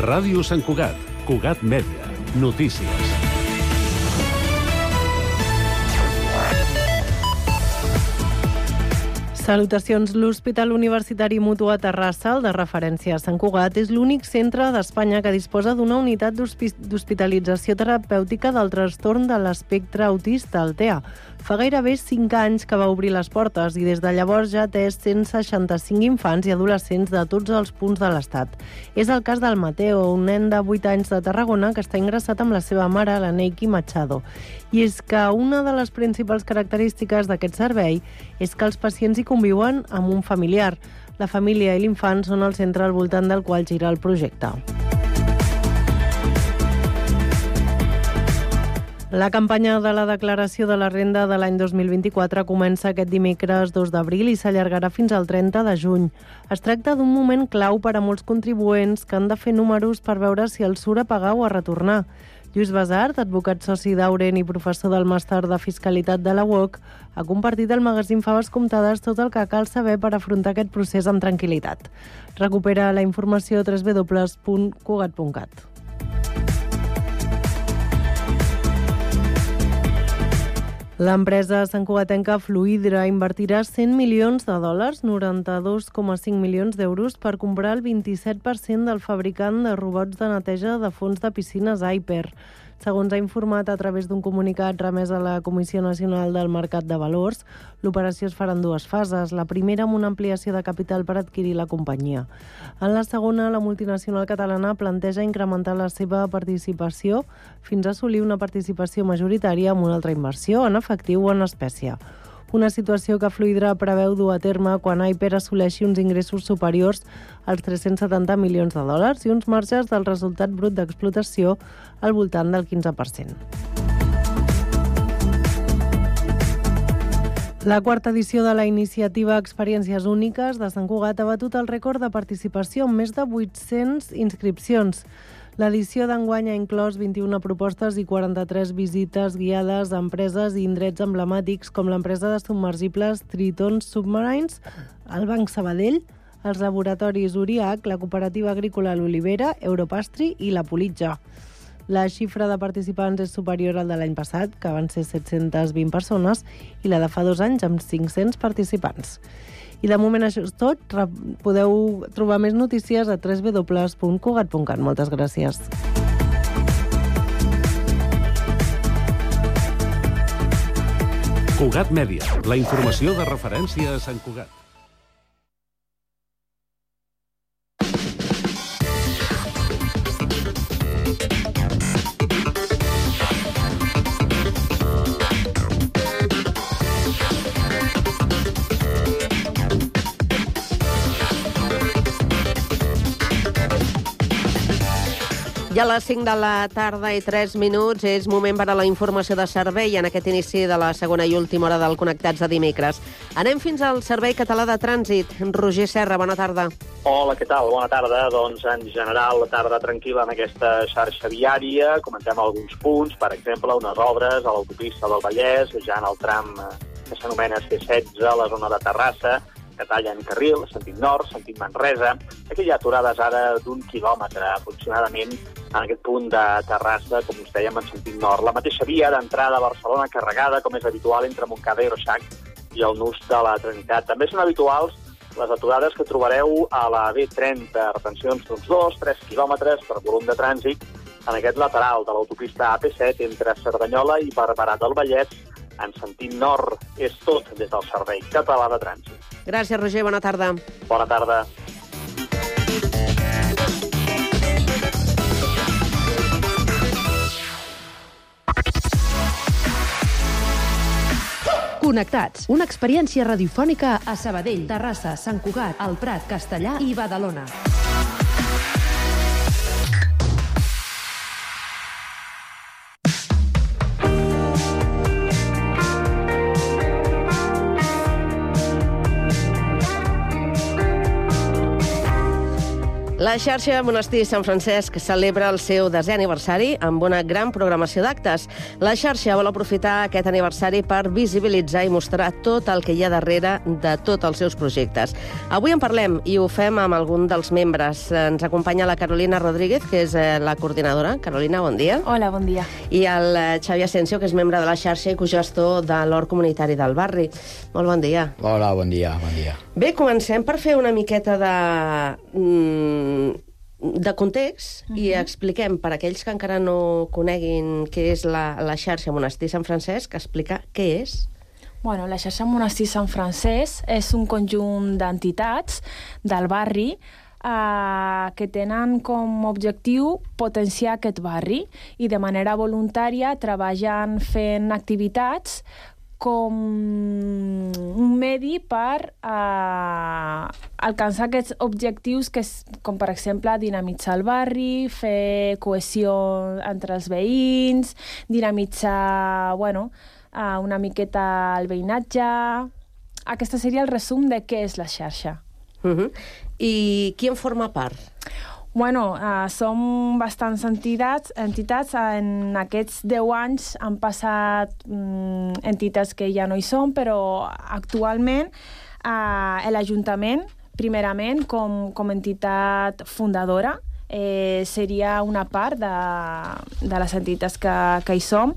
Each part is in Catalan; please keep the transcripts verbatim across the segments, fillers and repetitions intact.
Ràdio Sant Cugat, Cugat Mèdia, notícies. Salutacions. L'Hospital Universitari Mutu a Terrassa, el de referència a Sant Cugat, és l'únic centre d'Espanya que disposa d'una unitat d'hospitalització terapèutica del trastorn de l'espectre autista, el T E A. Fa gairebé cinc anys que va obrir les portes i des de llavors ja ha atès cent seixanta-cinc infants i adolescents de tots els punts de l'Estat. És el cas del Mateo, un nen de vuit anys de Tarragona que està ingressat amb la seva mare, la Neiki Machado. I és que una de les principals característiques d'aquest servei és que els pacients hi conviuen amb un familiar. La família i l'infant són el centre al voltant del qual gira el projecte. La campanya de la declaració de la renda de l'any dos mil vint-i-quatre comença aquest dimecres dos d'abril i s'allargarà fins al trenta de juny. Es tracta d'un moment clau per a molts contribuents que han de fer números per veure si els surt a pagar o a retornar. Lluís Basart, advocat soci d'Auren i professor del màster de Fiscalitat de la U O C, ha compartit al magazín Faves Comptades tot el que cal saber per afrontar aquest procés amb tranquil·litat. Recupera la informació a w w w punt cugat punt cat. L'empresa santcugatenca Fluidra invertirà cent milions de dòlars, noranta-dos coma cinc milions d'euros, per comprar el vint-i-set per cent del fabricant de robots de neteja de fons de piscines Aiper. Segons ha informat a través d'un comunicat remès a la Comissió Nacional del Mercat de Valors, l'operació es farà en dues fases. La primera amb una ampliació de capital per adquirir la companyia. En la segona, la multinacional catalana planteja incrementar la seva participació fins a assolir una participació majoritària amb una altra inversió, en efectiu o en espècie. Una situació que Fluidra preveu dur a terme quan Aiper assoleixi uns ingressos superiors als tres-cents setanta milions de dòlars i uns marges del resultat brut d'explotació al voltant del quinze per cent. La quarta edició de la iniciativa Experiències Úniques de Sant Cugat ha batut el rècord de participació amb més de vuit-cents inscripcions. L'edició d'enguany ha inclòs vint-i-una propostes i quaranta-tres visites guiades a empreses i indrets emblemàtics com l'empresa de submergibles Triton Submarines, el Banc Sabadell, els laboratoris Uriac, la cooperativa agrícola L'Olivera, Europastri i la Politja. La xifra de participants és superior al de l'any passat, que van ser set-cents vint persones, i la de fa dos anys amb cinc-cents participants. I de moment això és tot. Podeu trobar més notícies a w w w punt cugat punt cat. Moltes gràcies. Cugat Mèdia, la informació de referència a Sant Cugat. Ja a les cinc de la tarda i tres minuts és moment per a la informació de servei en aquest inici de la segona i última hora del Connectats de dimecres. Anem fins al Servei Català de Trànsit. Roger Serra, bona tarda. Hola, què tal? Bona tarda. Doncs, en general, tarda tranquil·la en aquesta xarxa viària. Comentem alguns punts, per exemple, unes obres a l'autopista del Vallès, ja en el tram que s'anomena C setze, a la zona de Terrassa, que tallen carril, sentit nord, sentit Manresa. Aquí hi ha aturades ara d'un quilòmetre aproximadament en aquest punt de Terrassa, com us dèiem, en sentit nord. La mateixa via d'entrada a Barcelona carregada, com és habitual, entre Montcada i Reixac i el nus de la Trinitat. També són habituals les aturades que trobareu a la B trenta, retencions d'uns dos tres quilòmetres per volum de trànsit en aquest lateral de l'autopista A P set entre Cerdanyola i Barberà del Vallès en sentit nord. És tot des del Servei Català de Trànsit. Gràcies, Roger. Bona tarda. Bona tarda. Connectats, una experiència radiofònica a Sabadell, Terrassa, Sant Cugat, El Prat, Castellar i Badalona. La xarxa Monestir Sant Francesc celebra el seu desè aniversari amb una gran programació d'actes. La xarxa vol aprofitar aquest aniversari per visibilitzar i mostrar tot el que hi ha darrere de tots els seus projectes. Avui en parlem i ho fem amb algun dels membres. Ens acompanya la Carolina Rodríguez, que és la coordinadora. Carolina, bon dia. Hola, bon dia. I el Xavi Asensio, que és membre de la xarxa i cogestor de l'Hort Comunitari del Barri. Molt bon dia. Hola, bon dia, bon dia. Bé, comencem per fer una miqueta de... de context uh-huh. i expliquem, per aquells que encara no coneguin què és la, la xarxa Monestir Sant Francesc, explicar què és. Bueno, la xarxa Monestir Sant Francesc és un conjunt d'entitats del barri eh, que tenen com a objectiu potenciar aquest barri i de manera voluntària treballen fent activitats com un medi per eh, alcançar aquests objectius, que és, com per exemple dinamitzar el barri, fer cohesió entre els veïns, dinamitzar bueno, eh, una miqueta el veïnatge. Aquest seria el resum de què és la xarxa. Uh-huh. I qui en forma part? Bueno, uh, som bastants entitats. entitats. En aquests deu anys han passat um, entitats que ja no hi són, però actualment uh, l'Ajuntament, primerament, com, com entitat fundadora, eh, seria una part de, de les entitats que, que hi som.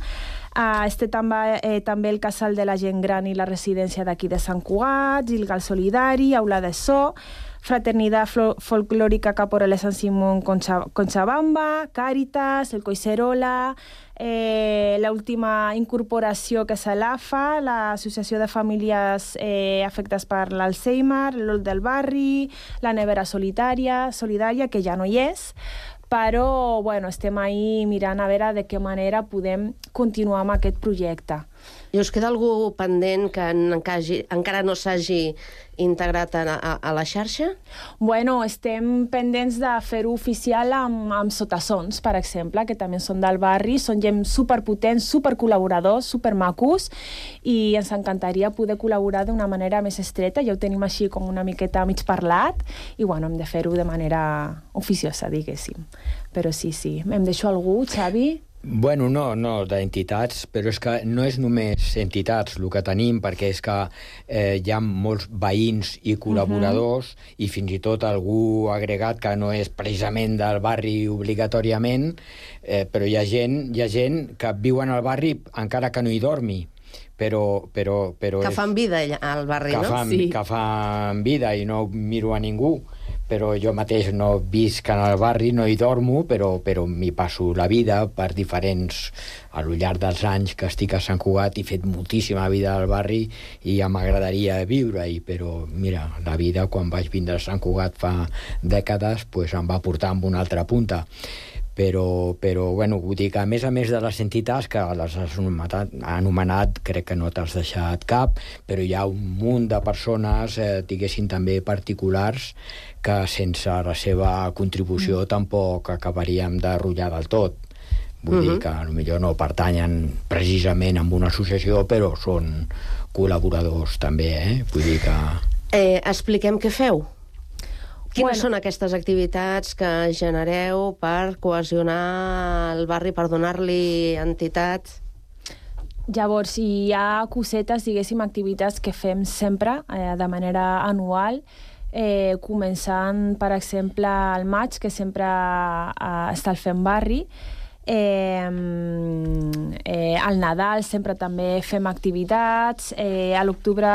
Uh, este també, eh, també el Casal de la Gent Gran i la residència d'aquí de Sant Cugat, Gilgal Solidari, Aula de So, Fraternidad Folclórica Caporale San Simón Conchabamba, Càritas, el Coicerola, eh, l'última incorporació que és l'A F A, l'Associació de Famílies eh, Afectades per l'Alzheimer, l'Hort del Barri, la Nevera Solitària, Solidària, que ja no hi és, però bueno, estem ahí mirant a veure de què manera podem continuar amb aquest projecte. I us queda algú pendent que encara no s'hagi integrat a, a, a la xarxa? Bueno, estem pendents de fer-ho oficial amb, amb sotassons, per exemple, que també són del barri, són gent superpotents, supercol·laboradors, supermacos, i ens encantaria poder col·laborar d'una manera més estreta, ja ho tenim així com una miqueta mig parlat, i bueno, hem de fer-ho de manera oficiosa, diguéssim. Però sí, sí. Em deixo algú, Xavi? Bueno, no, no, d'entitats, però és que no és només entitats el que tenim, perquè és que eh, hi ha molts veïns i col·laboradors uh-huh. i fins i tot algú agregat que no és precisament del barri obligatòriament, eh, però hi ha gent, hi ha gent que viuen al barri encara que no hi dormi. Però, però, però que fan vida al barri, que no? Fan, sí. Que fan vida i no miro a ningú. Però jo mateix no visc en el barri, no hi dormo, però, però m'hi passo la vida per diferents... A lo llarg dels anys que estic a Sant Cugat he fet moltíssima vida al barri i ja m'agradaria viure-hi, però mira, la vida quan vaig vindre a Sant Cugat fa dècades pues, em va portar amb una altra punta. Però, però bueno, vull dir que a més a més de les entitats que les has anomenat, anomenat crec que no t'has deixat cap, però hi ha un munt de persones, eh, diguéssim també particulars, que sense la seva contribució mm. tampoc acabaríem de rotllar del tot. Vull mm-hmm. dir que potser no pertanyen precisament a una associació, però són col·laboradors també, eh? Vull dir que... Eh, expliquem què feu. Quines bueno. són aquestes activitats que genereu per cohesionar el barri, per donar-li entitat? Llavors, hi ha cosetes, diguéssim, activitats que fem sempre, eh, de manera anual, eh, començant, per exemple, al maig, que sempre eh, està el Fem Barri. Eh, eh, al Nadal sempre també fem activitats, eh, a l'octubre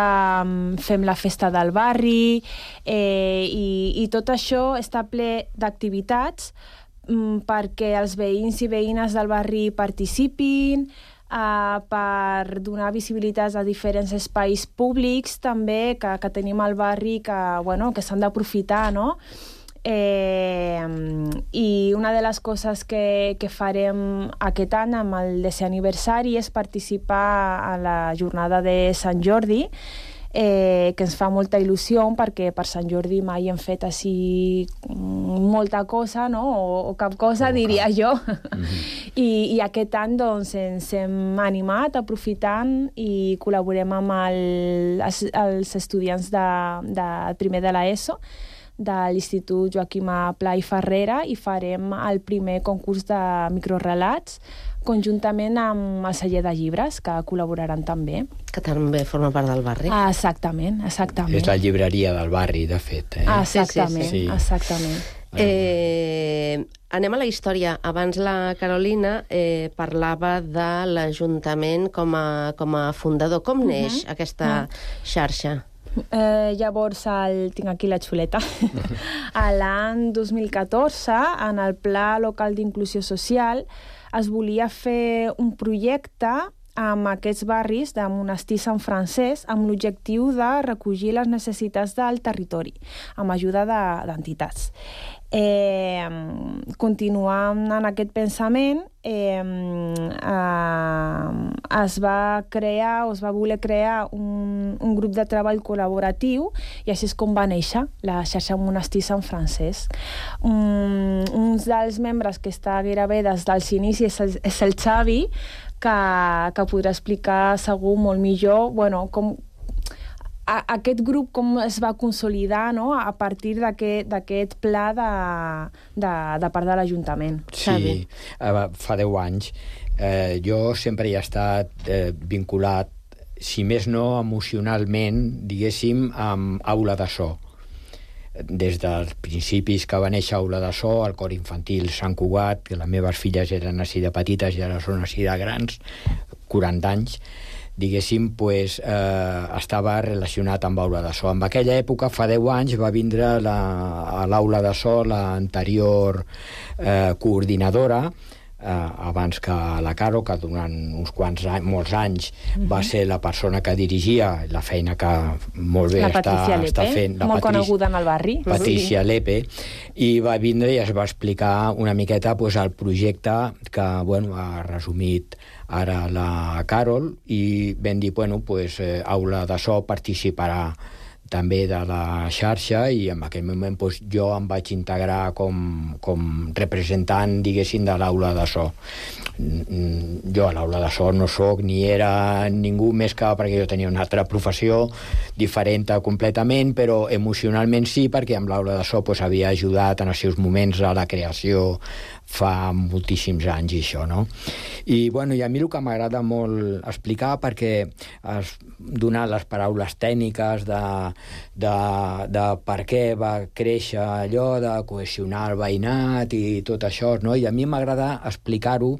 fem la festa del barri, eh, i, i tot això està ple d'activitats mm, perquè els veïns i veïnes del barri participin, eh, per donar visibilitat a diferents espais públics també que, que tenim al barri que, bueno, que s'han d'aprofitar, no? Eh, i una de les coses que, que farem aquest any amb el desè aniversari és participar a la jornada de Sant Jordi, eh, que ens fa molta il·lusió perquè per Sant Jordi mai hem fet així molta cosa, no? o, o cap cosa, oh, diria cap. jo. Mm-hmm. I, I aquest any doncs, ens hem animat aprofitant i col·laborem amb el, els, els estudiants de, de primer de l'ESO, de l'Institut Joaquim Pla i Ferrera i farem el primer concurs de microrelats conjuntament amb el celler de llibres, que col·laboraran també. Que també forma part del barri. Ah, exactament, exactament. És la llibreria del barri, de fet. Eh? Ah, exactament, sí, sí, sí. exactament. Eh, anem a la història. Abans la Carolina eh, parlava de l'Ajuntament com a, com a fundador. Com uh-huh. neix aquesta uh-huh. xarxa? Eh, llavors, el, tinc aquí la xuleta. A l'any dos mil catorze, en el Pla Local d'Inclusió Social, es volia fer un projecte amb aquests barris de Monestir Sant Francesc amb l'objectiu de recollir les necessitats del territori, amb ajuda d'entitats. Eh, continuant en aquest pensament, eh, eh, es va crear o es va voler crear un, un grup de treball col·laboratiu i així és com va néixer la xarxa Monestir Sant Francesc. Um, un dels membres que està gairebé des dels inicis és el, és el Xavi, que, que podrà explicar segur molt millor bueno, com a, aquest grup com es va consolidar, no?, a partir d'aquest pla de, de, de part de l'Ajuntament. Sí, fa deu anys. Eh, jo sempre hi he estat eh, vinculat, si més no emocionalment, diguéssim, amb Aula de So. Des dels principis que va néixer Aula de So, el cor infantil Sant Cugat, que les meves filles eren així de petites i ara són així de grans, quaranta anys, diguéssim, pues, eh, estava relacionat amb Aula de So. En aquella època, fa deu anys, va vindre la, a l'Aula de So l'anterior eh, coordinadora, eh, abans que la Caro, que durant uns quants anys, molts anys uh-huh. va ser la persona que dirigia la feina que molt bé està, està fent. La molt Patricia, coneguda en el barri. Patricia uh-huh. Lepe, i va vindre i es va explicar una miqueta pues, el projecte que bueno, ha resumit ara la Carol, i vam dir, bueno, pues, eh, Aula de So participarà també de la xarxa, i en aquell moment pues, jo em vaig integrar com, com representant, diguéssim, de l'Aula de So. Jo a l'Aula de So no soc ni era ningú més que perquè jo tenia una altra professió diferent completament, però emocionalment sí, perquè amb l'Aula de So pues, havia ajudat en els seus moments a la creació fa moltíssims anys i això, no? I, bueno, i a mi el que m'agrada molt explicar, perquè has donat les paraules tècniques de, de, de per què va créixer allò, de cohesionar el veïnat i tot això, no? I a mi m'agrada explicar-ho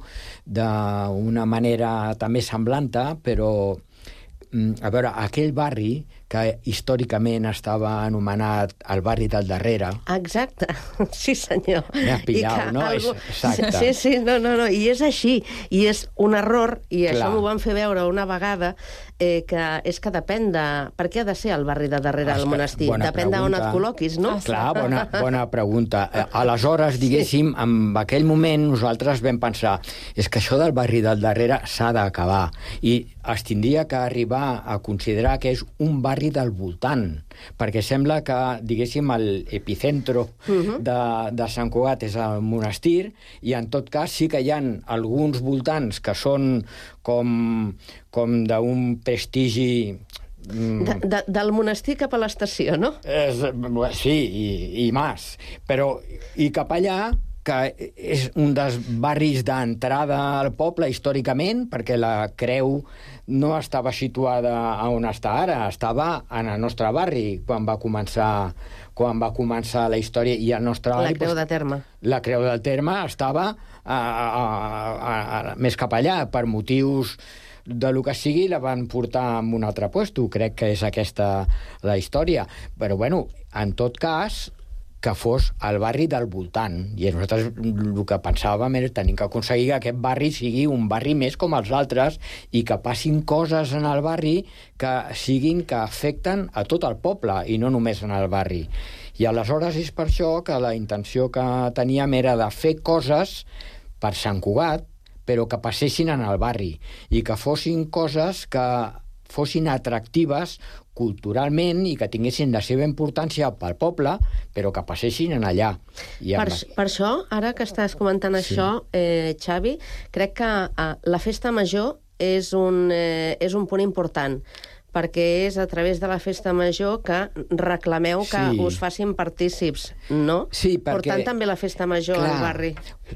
d'una manera també semblanta, però, a veure, aquell barri que històricament estava anomenat el barri del darrere. Exacte, sí senyor. M'has pillat, no? Algú... Exacte. Sí, sí, no, no, no, i és així, i és un error, i Clar. Això m'ho van fer veure una vegada, eh, que és que depèn de... Per què ha de ser el barri de darrere del monestir? Depèn d'on et col·loquis, no? Clar, bona, bona pregunta. Aleshores, diguéssim, sí. en aquell moment nosaltres vam pensar és que això del barri del darrere s'ha d'acabar, i es tindria que arribar a considerar que és un barri del voltant, perquè sembla que, diguéssim, l'epicentro uh-huh. de, de Sant Cugat és el monestir, i en tot cas sí que hi ha alguns voltants que són com, com d'un prestigi... De, de, del monestir cap a l'estació, no? És, sí, i, i més. Però, i cap allà, que és un dels barris d'entrada al poble històricament, perquè la Creu no estava situada on està ara, estava en el nostre barri quan va començar, quan va començar la història, i el nostre la barri... Creu de Terme. La Creu del Terme estava a, a, a, a, més cap allà, per motius de lo que sigui, la van portar en un altre puesto. Crec que és aquesta la història. Però, bueno, en tot cas, que fos el barri del voltant. I nosaltres el que pensàvem era tenir que aconseguir que aquest barri sigui un barri més com els altres, i que passin coses en el barri que siguin, que afecten a tot el poble i no només en el barri. I aleshores és per això que la intenció que teníem era de fer coses per Sant Cugat, però que passessin en el barri, i que fossin coses que fossin atractives culturalment i que tinguessin la seva importància pel poble, però que passessin en allà. I per, per això, ara que estàs comentant sí. això, eh, Xavi, crec que eh, la festa major és un, eh, és un punt important, perquè és a través de la festa major que reclameu que Sí. us facin partícips, no? Sí, perquè... Portant també la festa major Clar, al barri.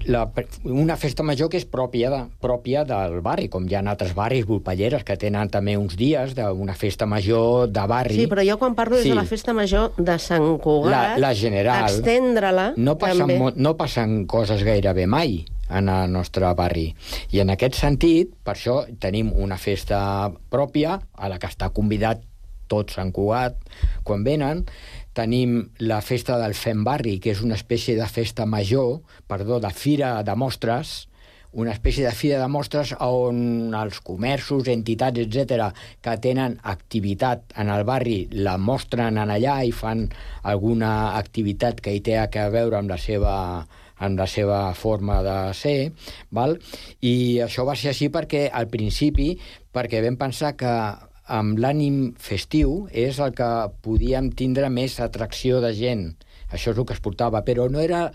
La, una festa major que és pròpia, de, pròpia del barri, com hi ha altres barris volpelleres que tenen també uns dies d'una festa major de barri. Sí, però jo quan parlo és Sí. de la festa major de Sant Cugat, La, la general. extendre-la No passen, també. mo- no passen coses gairebé mai en el nostre barri. I en aquest sentit, per això tenim una festa pròpia a la que està convidat tot Sant Cugat quan venen. Tenim la festa del Fem Barri, que és una espècie de festa major, perdó, de fira de mostres, una espècie de fira de mostres on els comerços, entitats, etcètera, que tenen activitat en el barri, la mostren en allà i fan alguna activitat que hi té a veure amb la seva amb la seva forma de ser, val? I això va ser així perquè, al principi, perquè vam pensar que amb l'ànim festiu és el que podíem tindre més atracció de gent. Això és el que es portava, però no era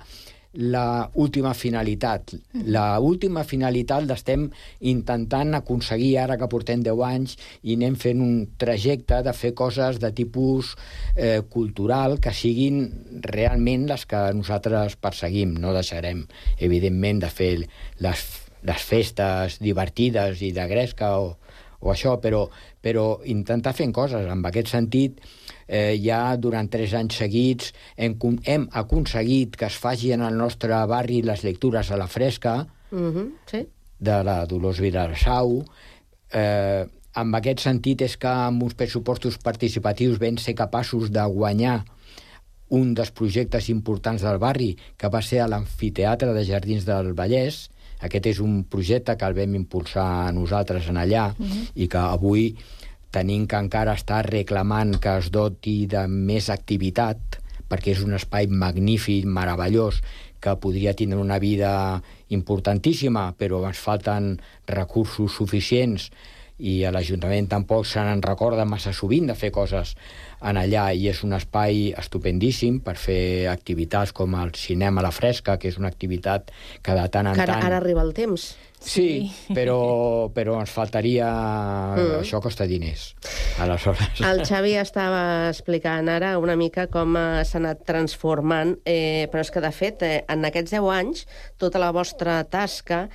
la última finalitat. La última finalitat l'estem intentant aconseguir ara que portem deu anys i anem fent un trajecte de fer coses de tipus eh, cultural que siguin realment les que nosaltres perseguim. No deixarem, evidentment, de fer les, les festes divertides i de gresca o, o això, però, però intentar fer coses. En aquest sentit, eh, ja durant tres anys seguits hem, hem aconseguit que es faci en el nostre barri les lectures a la fresca, Uh-huh, sí. de la Dolors Vilarsau. Eh, en aquest sentit és que amb uns pressupostos participatius vam ser capaços de guanyar un dels projectes importants del barri, que va ser a l'amfiteatre de Jardins del Vallès. Aquest és un projecte que el vam impulsar nosaltres en allà uh-huh. i que avui tenim que encara estar reclamant que es doti de més activitat, perquè és un espai magnífic, meravellós, que podria tindre una vida importantíssima, però ens falten recursos suficients i a l'Ajuntament tampoc se n'en recorda massa sovint de fer coses en allà, i és un espai estupendíssim per fer activitats com el cinema a la fresca, que és una activitat que de tant en Que ara, tant... ara arriba el temps. Sí, però, però ens faltaria... Mm. Això costa diners, aleshores. El Xavi estava explicant ara una mica com eh, s'ha anat transformant, eh, però és que, de fet, eh, en aquests deu anys, tota la vostra tasca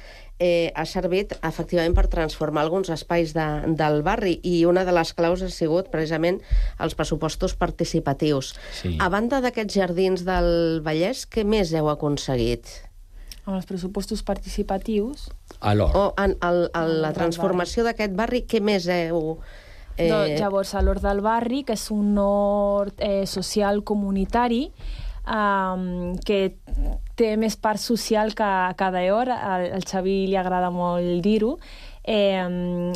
eh, ha servit, efectivament, per transformar alguns espais de, del barri, i una de les claus ha sigut, precisament, els pressupostos participatius. Sí. A banda d'aquests jardins del Vallès, què més heu aconseguit? Amb els pressupostos participatius... A l'hort. O en, el, el, la transformació d'aquest barri, què més heu... Eh... Doncs, llavors, a l'hort del barri, que és un hort eh, social comunitari, um, que té més part social que cada hora, al, al Xavi li agrada molt dir-ho. Eh,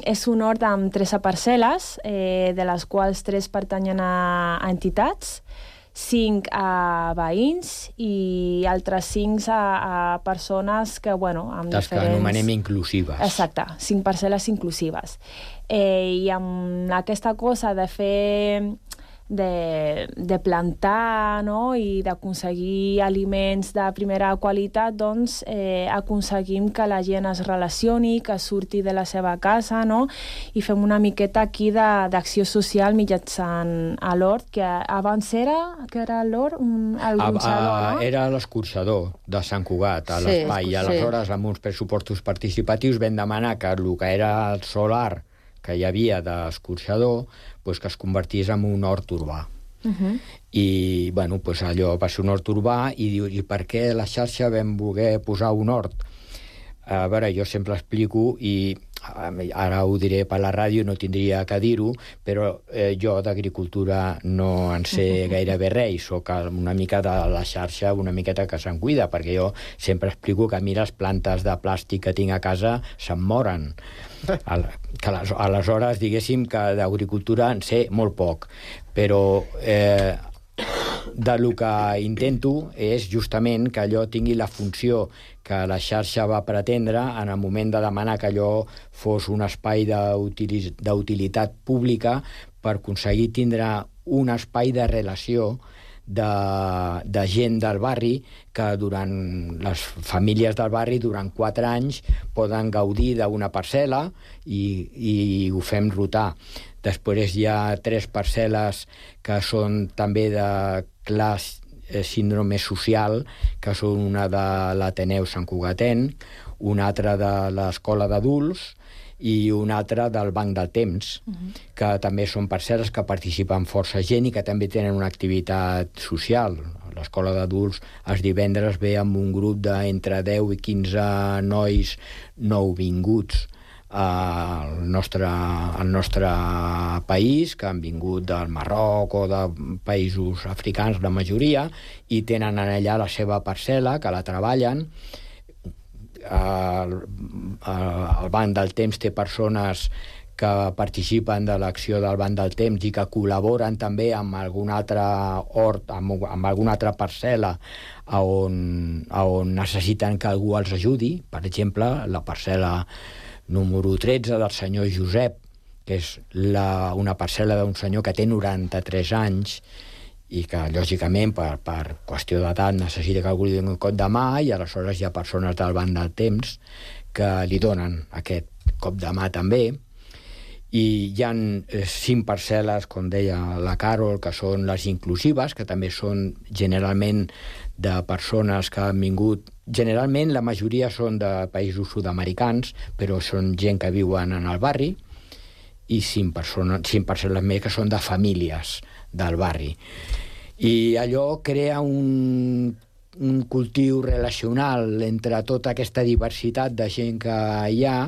és un hort amb tres parcel·les, eh, de les quals tres pertanyen a, a entitats, cinc a veïns i altres cinc a, a persones que, bueno, amb Les diferents... que anomenem inclusives. Exacte, cinc parcel·les inclusives. Eh, I amb aquesta cosa de fer... De, de plantar, no?, i d'aconseguir aliments de primera qualitat, doncs eh, aconseguim que la gent es relacioni, que surti de la seva casa, no?, i fem una miqueta aquí d'acció social mitjançant a l'hort, que abans era, que era l'hort, un, el gronxador, no? Era l'escorxador de Sant Cugat, a Sí, l'espai, i aleshores, sí. amb uns pressupostos participatius, vam demanar que el que era el solar que hi havia d'escorxador, pues, que es convertís en un hort urbà. Uh-huh. I, bueno, pues, allò va ser un hort urbà, i diu, i per què a la xarxa vam voler posar un hort? A veure, jo sempre explico, i ara ho diré per la ràdio, no tindria que dir-ho, però eh, jo d'agricultura no en sé gairebé res, soc una mica de la xarxa, una miqueta que se'n cuida, perquè jo sempre explico que a mi les plantes de plàstic que tinc a casa se'n moren. Que aleshores, diguéssim que d'agricultura en sé molt poc, però eh, de lo que intento és justament que allò tingui la funció que la xarxa va pretendre en el moment de demanar que allò fos un espai d'utilitat pública, per aconseguir tindre un espai de relació de, de gent del barri, que durant les famílies del barri durant quatre anys poden gaudir d'una parcel·la i, i ho fem rotar. Després hi ha tres parcel·les que són també de classe síndrome social, que són una de l'Ateneu Sant Cugatenc, una altra de l'Escola d'Adults i una altra del Banc del Temps, uh-huh. que també són parcel·les que participen força gent i que també tenen una activitat social. L'Escola d'Adults els divendres ve amb un grup d'entre deu i quinze nois nouvinguts al nostre, al nostre país, que han vingut del Marroc o de països africans, la majoria, i tenen allà la seva parcel·la, que la treballen. El, el Banc del Temps té persones que participen de l'acció del Banc del Temps i que col·laboren també amb algun altre hort, amb, amb alguna altra parcel·la on, on necessiten que algú els ajudi. Per exemple, la parcel·la número tretze del senyor Josep, que és la, una parcel·la d'un senyor que té noranta-tres anys i que, lògicament, per, per qüestió d'edat necessita que algú li doni un cop de mà, i aleshores hi ha persones del Banc del Temps que li donen aquest cop de mà també. I hi ha cinc parcel·les, com deia la Carol, que són les inclusives, que també són generalment de persones que han vingut. Generalment la majoria són de països sud-americans, però són gent que viuen en el barri, i cinc, persones, cinc parcel·les més que són de famílies del barri. I allò crea un, un cultiu relacional entre tota aquesta diversitat de gent que hi ha,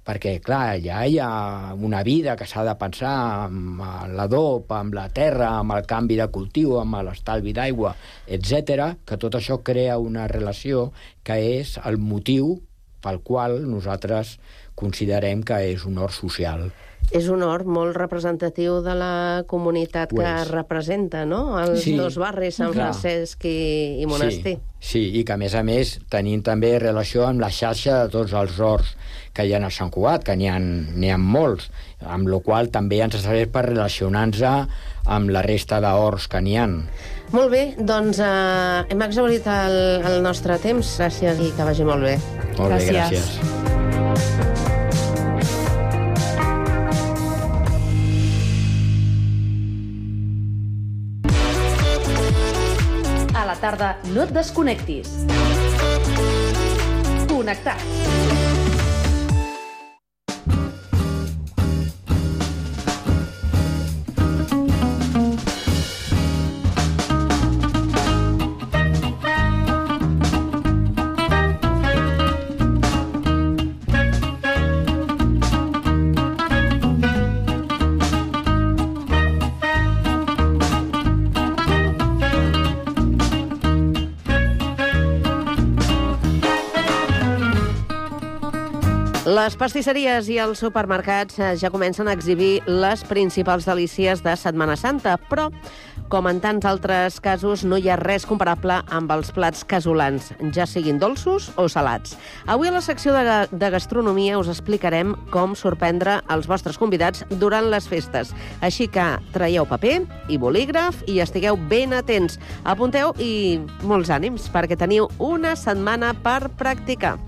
perquè, clar, allà hi ha una vida que s'ha de pensar amb l'adob, amb la terra, amb el canvi de cultiu, amb l'estalvi d'aigua, etcètera, que tot això crea una relació que és el motiu pel qual nosaltres considerem que és un hort social. És un hort molt representatiu de la comunitat que pues, representa, no? Els sí, dos barris, Sant clar. Francesc i, i Monestir. Sí, sí, i que, a més a més, tenim també relació amb la xarxa de tots els horts que hi ha a Sant Cugat, que n'hi ha, n'hi ha molts, amb la qual també ens serveix per relacionar-nos amb la resta d'horts que n'hi ha. Molt bé, doncs eh, hem exhaurit el, el nostre temps. Gràcies i que vagi molt bé. Molt gràcies. bé, gràcies. A la tarda no et desconnectis. Connectats. Les pastisseries i els supermercats ja comencen a exhibir les principals delícies de Setmana Santa, però, com en tants altres casos, no hi ha res comparable amb els plats casolans, ja siguin dolços o salats. Avui a la secció de, de gastronomia us explicarem com sorprendre els vostres convidats durant les festes. Així que traieu paper i bolígraf i estigueu ben atents. Apunteu i molts ànims, perquè teniu una setmana per practicar.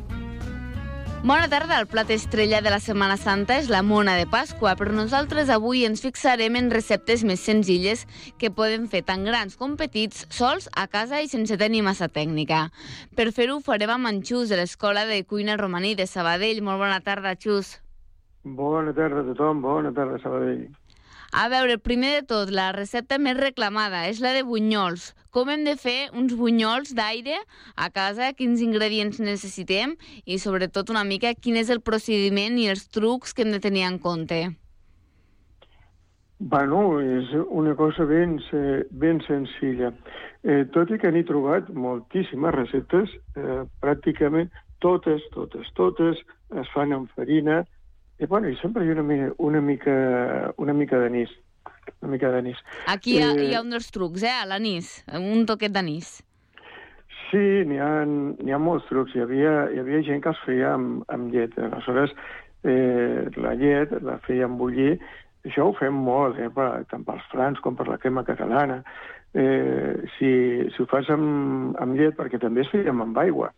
Bona tarda, el plat estrella de la Setmana Santa és la mona de Pasqua, però nosaltres avui ens fixarem en receptes més senzilles que poden fer tant grans com petits, sols, a casa i sense tenir massa tècnica. Per fer-ho farem amb en Xus, de l'Escola de Cuina Romaní de Sabadell. Molt bona tarda, Xus. Bona tarda a tothom, bona tarda, Sabadell. A veure, primer de tot, la recepta més reclamada és la de bunyols. Com hem de fer uns bunyols d'aire a casa, quins ingredients necessitem i, sobretot, una mica quin és el procediment i els trucs que hem de tenir en compte? Bueno, és una cosa ben, ben senzilla. Eh, tot i que n'he trobat moltíssimes receptes, eh, pràcticament totes, totes, totes es fan amb farina. I, bueno, i sempre hi ha una mica, una mica, una mica d'anís. Una mica d'anís. Aquí hi ha, eh, hi ha un dels trucs, eh, a l'anís, un toquet d'anís. Sí, n'hi ha, n'hi ha molts trucs. Hi havia, hi havia gent que els feia amb, amb llet. Aleshores, eh, la llet la feien bullir. Això ho fem molt, eh, per, tant pels frans com per la crema catalana. Eh, si, si ho fas amb, amb llet, perquè també es feia amb aigua.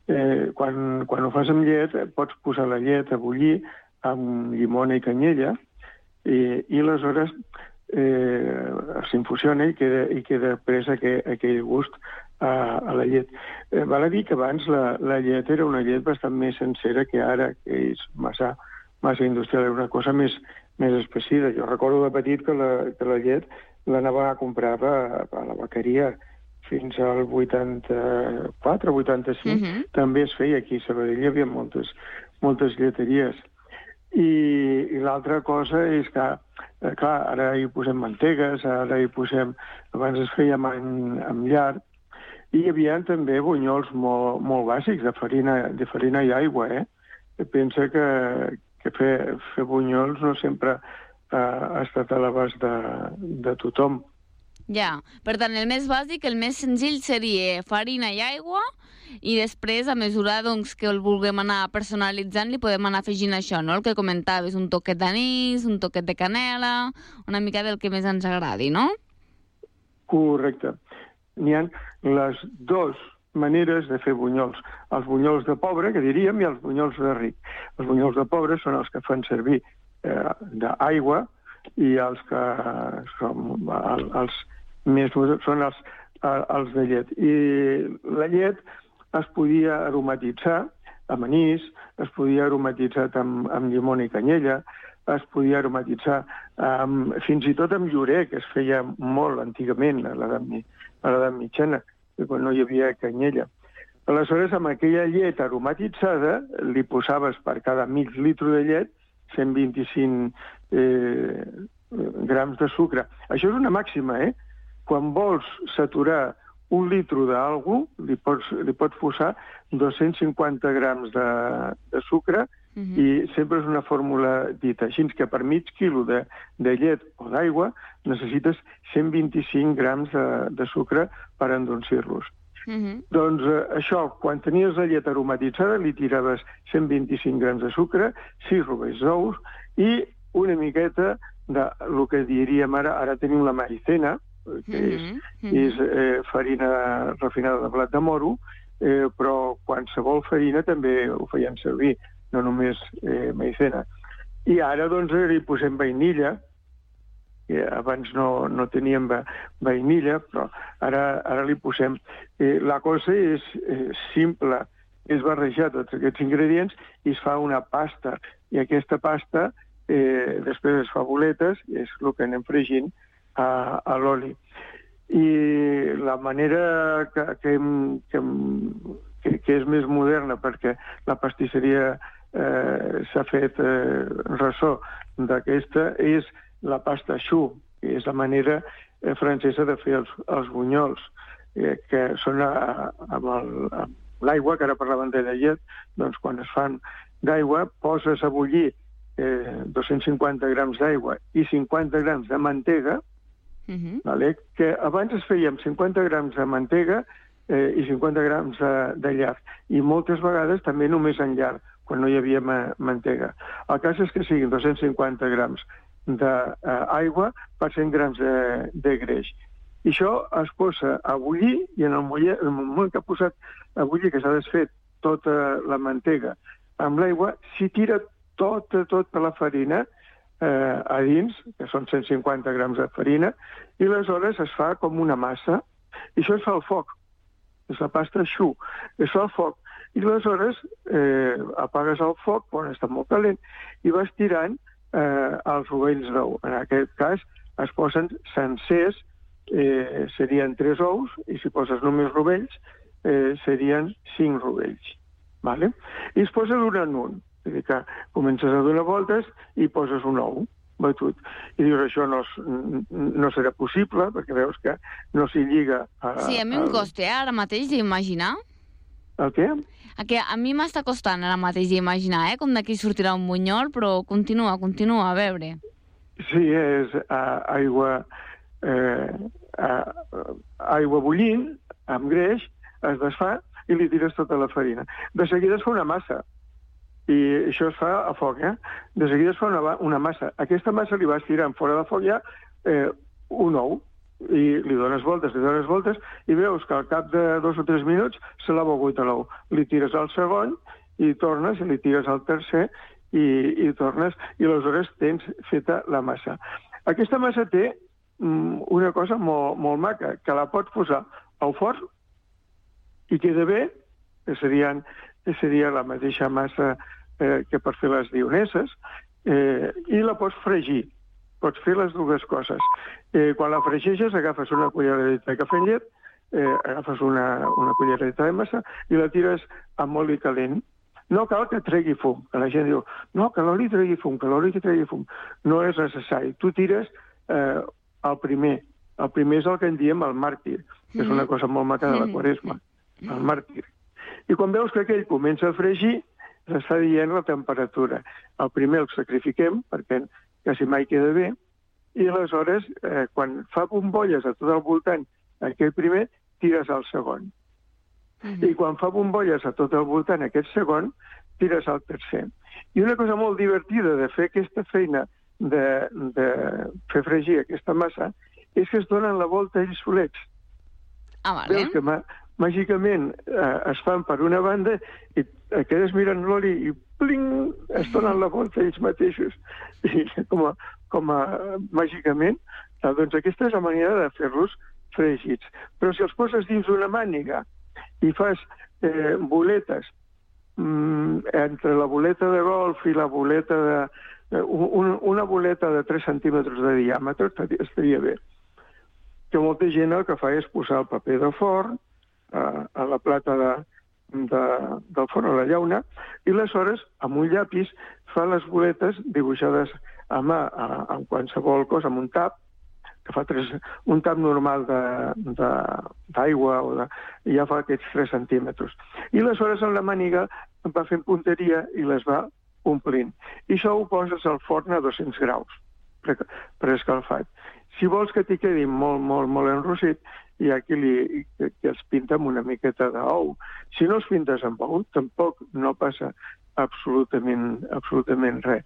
Eh, quan, quan ho fas amb llet, pots posar la llet a bullir amb llimona i canyella, i, i aleshores eh, s'infusiona i queda, i queda pres aquell, aquell gust a, a la llet. Eh, val a dir que abans la, la llet era una llet bastant més sencera que ara, que és massa, massa industrial, era una cosa més, més especida. Jo recordo de petit que la, que la llet l'anava a comprar a, a la vaqueria fins al vuitanta-quatre, vuitanta-cinc, uh-huh. també es feia aquí a Sabadell, hi havia moltes, moltes lleteries. I, i l'altra cosa és que, eh, clar, ara hi posem mantegues, ara hi posem... Abans es feia amb, amb llar, i hi havia també bunyols molt, molt bàsics, de farina, de farina i aigua, eh? Pensa que, que fer, fer bunyols no sempre eh, ha estat a l'abast de, de tothom. Ja, per tant, el més bàsic, el més senzill seria farina i aigua, i després, a mesura doncs, que el vulguem anar personalitzant, li podem anar afegint això, no? El que comentaves, un toquet d'anís, un toquet de canela, una mica del que més ens agradi, no? Correcte. N'hi ha les dues maneres de fer bunyols. Els bunyols de pobre, que diríem, i els bunyols de ric. Els bunyols de pobre són els que fan servir eh, d'aigua, i els que són els més són els, els de llet. I la llet es podia aromatitzar amb anís, es podia aromatitzar amb, amb llimona i canyella, es podia aromatitzar amb, fins i tot amb llorer, que es feia molt antigament a l'edat mitjana, quan no hi havia canyella. Aleshores, amb aquella llet aromatitzada, li posaves per cada mig litre de llet cent vint-i-cinc eh, grams de sucre. Això és una màxima, eh? Quan vols saturar un litre d'algú, li pots, li pots posar dos-cents cinquanta grams de, de sucre, uh-huh. i sempre és una fórmula dita. Així que per mig quilo de, de llet o d'aigua necessites cent vint-i-cinc grams de, de sucre per endolcir-los. Uh-huh. Doncs eh, això, quan tenies la llet aromatitzada, li tiraves cent vint-i-cinc grams de sucre, sis rovells d'ous i una miqueta de lo que diríem ara, ara tenim la maicena, que és, uh-huh. és eh, farina refinada de blat de moro, eh, però qualsevol farina també ho feien servir, no només eh, maicena. I ara, doncs, hi posem vainilla, que abans no, no teníem vainilla, però ara, ara li posem. Eh, la cosa és eh, simple, és barrejar tots aquests ingredients i es fa una pasta. I aquesta pasta eh, després es fa boletes, i és el que anem fregint a, a l'oli. I la manera que, que, que, que, que és més moderna, perquè la pastisseria eh, s'ha fet eh, ressò d'aquesta, és la pasta choux, que és la manera eh, francesa de fer els, els bunyols, eh, que són a, amb l'aigua, que ara parlaven de la llet, doncs quan es fan d'aigua, poses a bullir eh, dos-cents cinquanta grams d'aigua i cinquanta grams de mantega, uh-huh. vale? Que abans es feia amb cinquanta grams de mantega eh, i cinquanta grams de, de llard, i moltes vegades també només en llard, quan no hi havia ma mantega. El cas és que siguin dos-cents cinquanta grams d'aigua eh, per cent grams de, de greix. I això es posa a bullir, i en el, muller, en el moment que ha posat a bullir, que s'ha desfet tota la mantega amb l'aigua, s'hi tira tota, tota la farina eh, a dins, que són cent cinquanta grams de farina, i aleshores es fa com una massa, i això es fa al foc. És la pasta choux. Es fa al foc. I aleshores eh, apagues el foc, quan està molt calent, i vas tirant eh, els rovells d'ou. En aquest cas es posen sencers, eh, serien tres ous, i si poses només rovells, eh, serien cinc rovells. Vale? I es posa d'un en un. És a dir, que comences a donar voltes i poses un ou batut. I dius, això no, no serà possible, perquè veus que no s'hi lliga... A, sí, a mi em costa, eh, ara mateix d'imaginar. El què? Que a mi m'està costant ara mateix d'imaginar, eh, com d'aquí sortirà un bunyol, però continua, continua, a veure. Sí, és uh, aigua, eh, uh, aigua bullint, amb greix, es desfà i li tires tota la farina. De seguida es fa una massa, i això es fa a foc, eh? De seguida es fa una, una massa. Aquesta massa li vas tirant fora de foc ja eh, un ou, i li dones voltes, li dones voltes, i veus que al cap de dos o tres minuts se l'ha begut a l'ou. Li tires al segon, i tornes, i li tires al tercer, i, i tornes, i aleshores tens feta la massa. Aquesta massa té mm, una cosa molt, molt maca, que la pots posar al forn i queda bé, que serien, seria la mateixa massa eh, que per fer les dioneses, eh, i la pots fregir. Pots fer les dues coses. Eh, quan la fregeixes, agafes una culleradeta de cafè amb llet, eh, agafes una, una culleradeta de massa i la tires amb oli calent. No cal que tregui fum, que la gent diu, no, que l'oli tregui fum, que l'oli que tregui fum. No és necessari. Tu tires eh, el primer. El primer és el que en diem el màrtir, que és una cosa molt maca de la Quaresma, el màrtir. I quan veus que aquell comença a fregir, s'està dient la temperatura. El primer el sacrifiquem, perquè quasi mai queda bé, i aleshores, eh, quan fa bombolles a tot el voltant, aquell primer, tires al segon. Mm-hmm. I quan fa bombolles a tot el voltant, aquest segon, tires al tercer. I una cosa molt divertida de fer aquesta feina de, de fer fregir aquesta massa és que es donen la volta ells solets. Ah, vale. Veus que mà, màgicament eh, es fan per una banda i quedes mirant l'oli i pling, es donen la volta ells mateixos. I com a, com a màgicament, eh, doncs aquesta és la manera de fer-los fregits. Però si els poses dins d'una màniga i fas eh, boletes mm, entre la boleta de golf i la boleta de... Eh, un, una boleta de tres centímetres de diàmetre estaria bé. Que molta gent el que fa és posar el paper de forn eh, a la plata de, de, del forn, a la llauna, i aleshores, amb un llapis, fa les boletes dibuixades a mà, a, a qualsevol cosa, amb un tap, que fa tres, un tap normal d'aigua, o de, i ja fa aquests tres centímetres. I aleshores en la màniga va fent punteria i les va omplint. I això ho poses al forn a dos-cents graus, preescalfat. Si vols que t'hi quedi molt, molt, molt enrossit, hi ha qui, li, que, que els pinta amb una miqueta d'ou. Si no els pintes amb ou, tampoc no passa absolutament, absolutament res.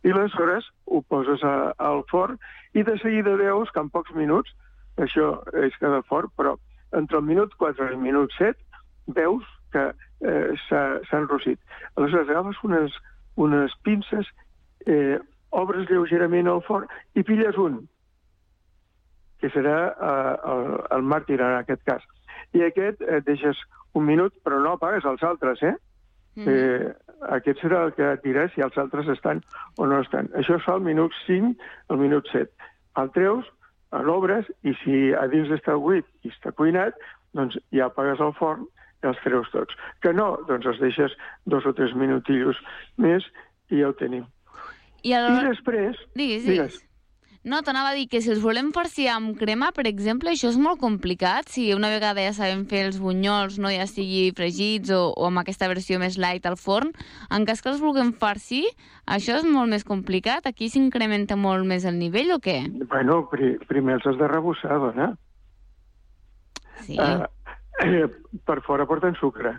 I aleshores ho poses a, al forn i de seguida veus que en pocs minuts, això és cada forn, però entre el minut quatre i el minut set veus que eh, s'ha enrossit. Aleshores agafes unes, unes pinces, eh, obres lleugerament al forn i pilles un, que serà eh, el, el màrtir en aquest cas. I aquest et eh, deixes un minut, però no apagues els altres, eh? Mm. eh aquest serà el que diràs si els altres estan o no estan. Això es fa al minut cinc, al minut set. El treus, l'obres, i si a dins està buit i està cuinat, doncs ja apagues el forn i els treus tots. Que no, doncs els deixes dos o tres minutillos més i ja ho tenim. I, el... I després... Digues, digues. No, t'anava a dir que si els volem farcir amb crema, per exemple, això és molt complicat. Si una vegada ja sabem fer els bunyols, no ja sigui fregits o, o amb aquesta versió més light al forn, en cas que els vulguem farcir, això és molt més complicat? Aquí s'incrementa molt més el nivell o què? Bueno, pri primer els has de rebussar, dona. Sí. Uh, eh, per fora porten sucre.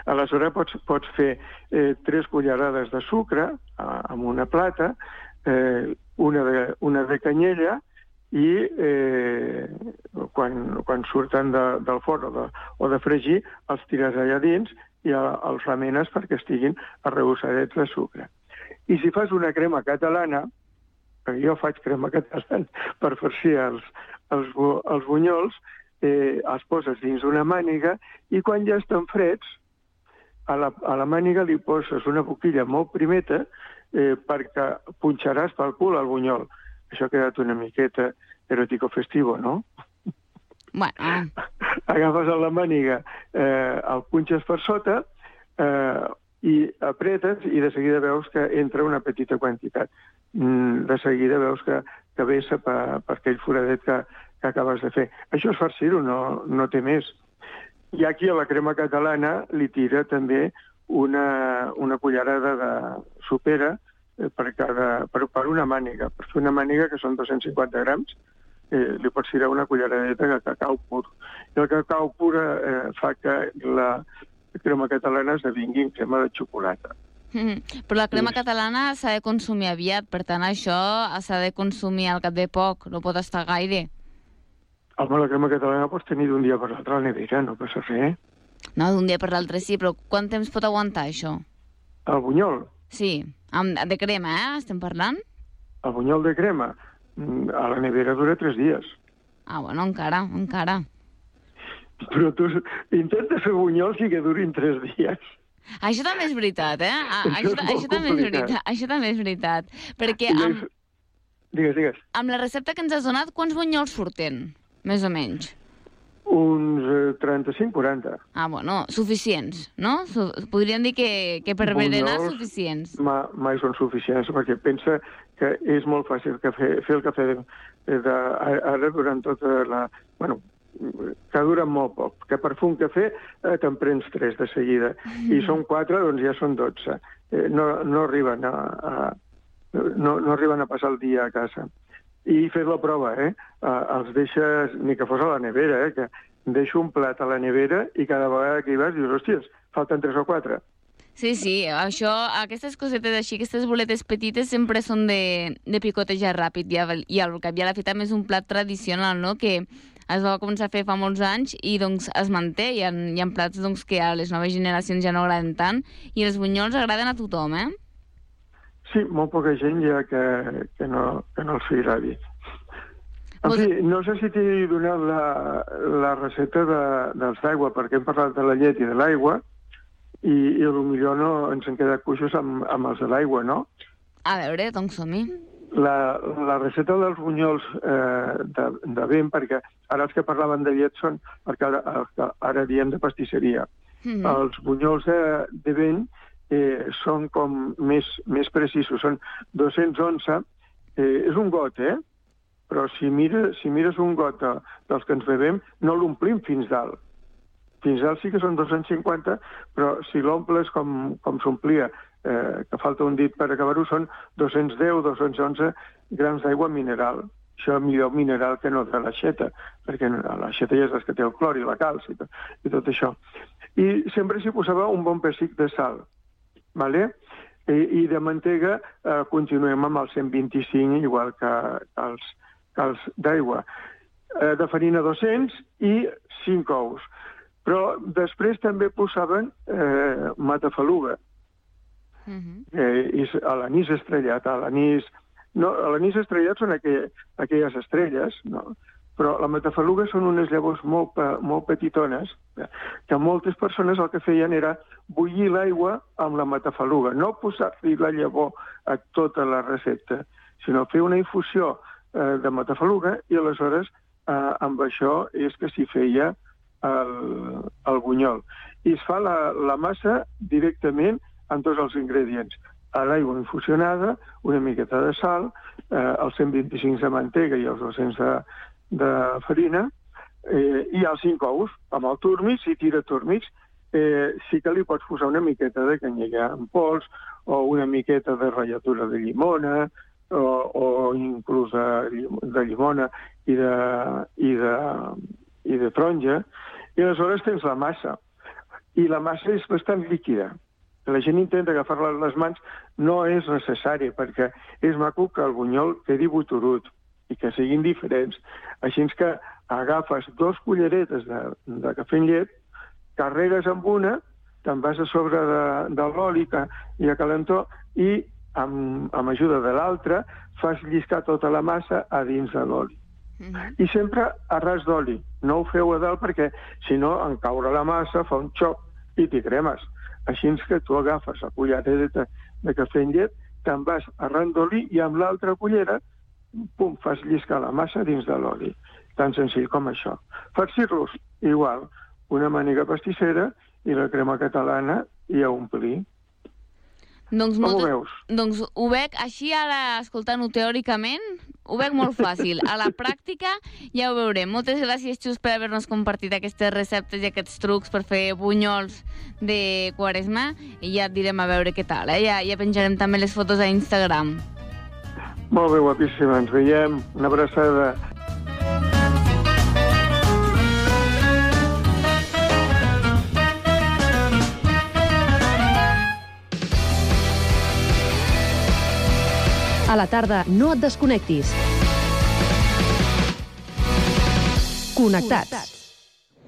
Aleshores pots, pots fer eh, tres cullerades de sucre uh, amb una plata, eh, una, de, una de canyella i eh, quan, quan surten de, del forn o de, o de fregir els tires allà dins i els remenes perquè estiguin arrebossadets de sucre. I si fas una crema catalana, perquè jo faig crema catalana per farcir els, els, els bunyols, eh, els poses dins una màniga i quan ja estan freds, a la, a la màniga li poses una boquilla molt primeta eh, perquè punxaràs pel cul el bunyol. Això ha quedat una miqueta erótico-festivo, no? Bueno. Agafes a la màniga, eh, el punxes per sota eh, i apretes i de seguida veus que entra una petita quantitat. Mm, de seguida veus que, que vessa per, per aquell foradet que, que acabes de fer. Això és farcir-ho, no, no té més. I aquí a la crema catalana li tira també una, una cullerada de sopera per, cada, per, per una màniga. Per fer una màniga, que són dos-cents cinquanta grams, eh, li pots tirar una culleradeta de cacau pur. I el cacau pur eh, fa que la crema catalana esdevingui crema de xocolata. Mm, però la crema catalana s'ha de consumir aviat, per tant això s'ha de consumir al cap de poc, no pot estar gaire. Home, la crema catalana pots tenir d'un dia per l'altre a la nevera, no passa res. No, d'un dia per l'altre sí, però quant temps pot aguantar això? El bunyol? Sí, amb, de crema, eh? Estem parlant? El bunyol de crema a la nevera dura tres dies. Ah, bueno, encara, encara. Però tu intenta fer bunyols i que durin tres dies. Això també és veritat, eh? Això Això, és això, també és veritat. Això també és veritat. Perquè amb, digues, digues. amb la recepta que ens has donat, quants bunyols surten, més o menys? Uns eh, trenta-cinc quaranta. Ah, bueno, suficients, no? Su podríem dir que, que per berenar suficients. Ma, mai són suficients, perquè pensa que és molt fàcil que fer, fer el cafè de, de, ara durant tota la... Bueno, que dura molt poc, que per fer un cafè eh, te'n prens tres de seguida, mm. i són quatre, doncs ja són dotze. Eh, no, no, arriben a, a, no, no arriben a passar el dia a casa. I fes la prova, eh? Eh, els deixes, ni que fos a la nevera, eh? Que deixo un plat a la nevera i cada vegada que hi vas dius, hòsties, falten tres o quatre. Sí, sí, això, aquestes cosetes així, aquestes boletes petites sempre són de, de picotejar ràpid, i al, i al cap i a la fi també és un plat tradicional, no?, que es va començar a fer fa molts anys i doncs es manté. Hi ha, hi ha plats doncs, que a les noves generacions ja no agraden tant i els bunyols agraden a tothom, eh? Sí, molt poca gent ja que, que, no, que no els hi agradi. En Vos... fi, no sé si t'he donat la, la recepta de, dels d'aigua, perquè hem parlat de la llet i de l'aigua, i, i potser no ens han quedat cuixos amb, amb els de l'aigua, no? A veure, doncs som-hi. La, la recepta dels bunyols eh, de, de vent, perquè ara els que parlaven de llet són, perquè ara, ara diem de pastisseria. Mm-hmm. Els bunyols de, de vent eh, són com més, més precisos, són dos-cents onze, eh, és un got, eh? Però si mires, si mires un got de, dels que ens bevem, no l'omplim fins dalt. Fins dalt sí que són dos-cents cinquanta, però si l'omples com, com s'omplia, eh, que falta un dit per acabar-ho, són dos-cents deu, dos-cents onze grams d'aigua mineral. Això millor mineral que no de l'aixeta, perquè l'aixeta ja és que té el clor i la calç i tot, i tot això. I sempre s'hi posava un bon pessic de sal, ¿vale? I, i de mantega eh, continuem amb el cent vint-i-cinc, igual que, que els, que els d'aigua. Eh, de farina dos-cents i cinc ous. Però després també posaven eh, matafaluga, uh-huh. eh, a l'anís estrellat. A l'anís no, a l'anís estrellat són aquell, aquelles estrelles, no? Però la matafaluga són unes llavors molt, molt petitones, que moltes persones el que feien era bullir l'aigua amb la matafaluga, no posar-li la llavor a tota la recepta, sinó fer una infusió eh, de matafaluga i aleshores eh, amb això és que s'hi feia el, el bunyol. I es fa la, la massa directament amb tots els ingredients. A l'aigua infusionada, una miqueta de sal, eh, els cent vint-i-cinc de mantega i els dos-cents de, de farina, eh, i els cinc ous, amb el turmix, si tira turmix, eh, sí que li pots posar una miqueta de canyella en pols, o una miqueta de ratlladura de llimona, o, o inclús de, de llimona i de, i, de, i de taronja, i aleshores tens la massa. I la massa és bastant líquida. La gent intenta agafar-la a les mans, no és necessari, perquè és maco que el bunyol quedi boturut i que siguin diferents. Així que agafes dos culleretes de, de cafè amb llet, carregues amb una, te'n vas a sobre de, de l'oli que hi ha calentor i amb, amb ajuda de l'altra fas lliscar tota la massa a dins de l'oli. Mm-hmm. I sempre a ras d'oli. No ho feu a dalt perquè, si no, en caure la massa fa un xoc i t'hi cremes. Així que tu agafes la cullereta de cafè amb llet, te'n vas arran d'oli i amb l'altra cullera, pum, fas lliscar la massa dins de l'oli. Tan senzill com això. Farcir-los, igual, una màniga pastissera i la crema catalana i a omplir. Doncs Com molt... ho veus? Doncs ho veig així, ara escoltant-ho teòricament, ho veig molt fàcil. A la pràctica ja ho veurem. Moltes gràcies, Xus, per haver-nos compartit aquestes receptes i aquests trucs per fer bunyols de Quaresma i ja et direm a veure què tal, eh? Ja, ja penjarem també les fotos a Instagram. Molt bé, guapíssima. Ens veiem. Una abraçada. A la tarda, no et desconnectis. Connectats.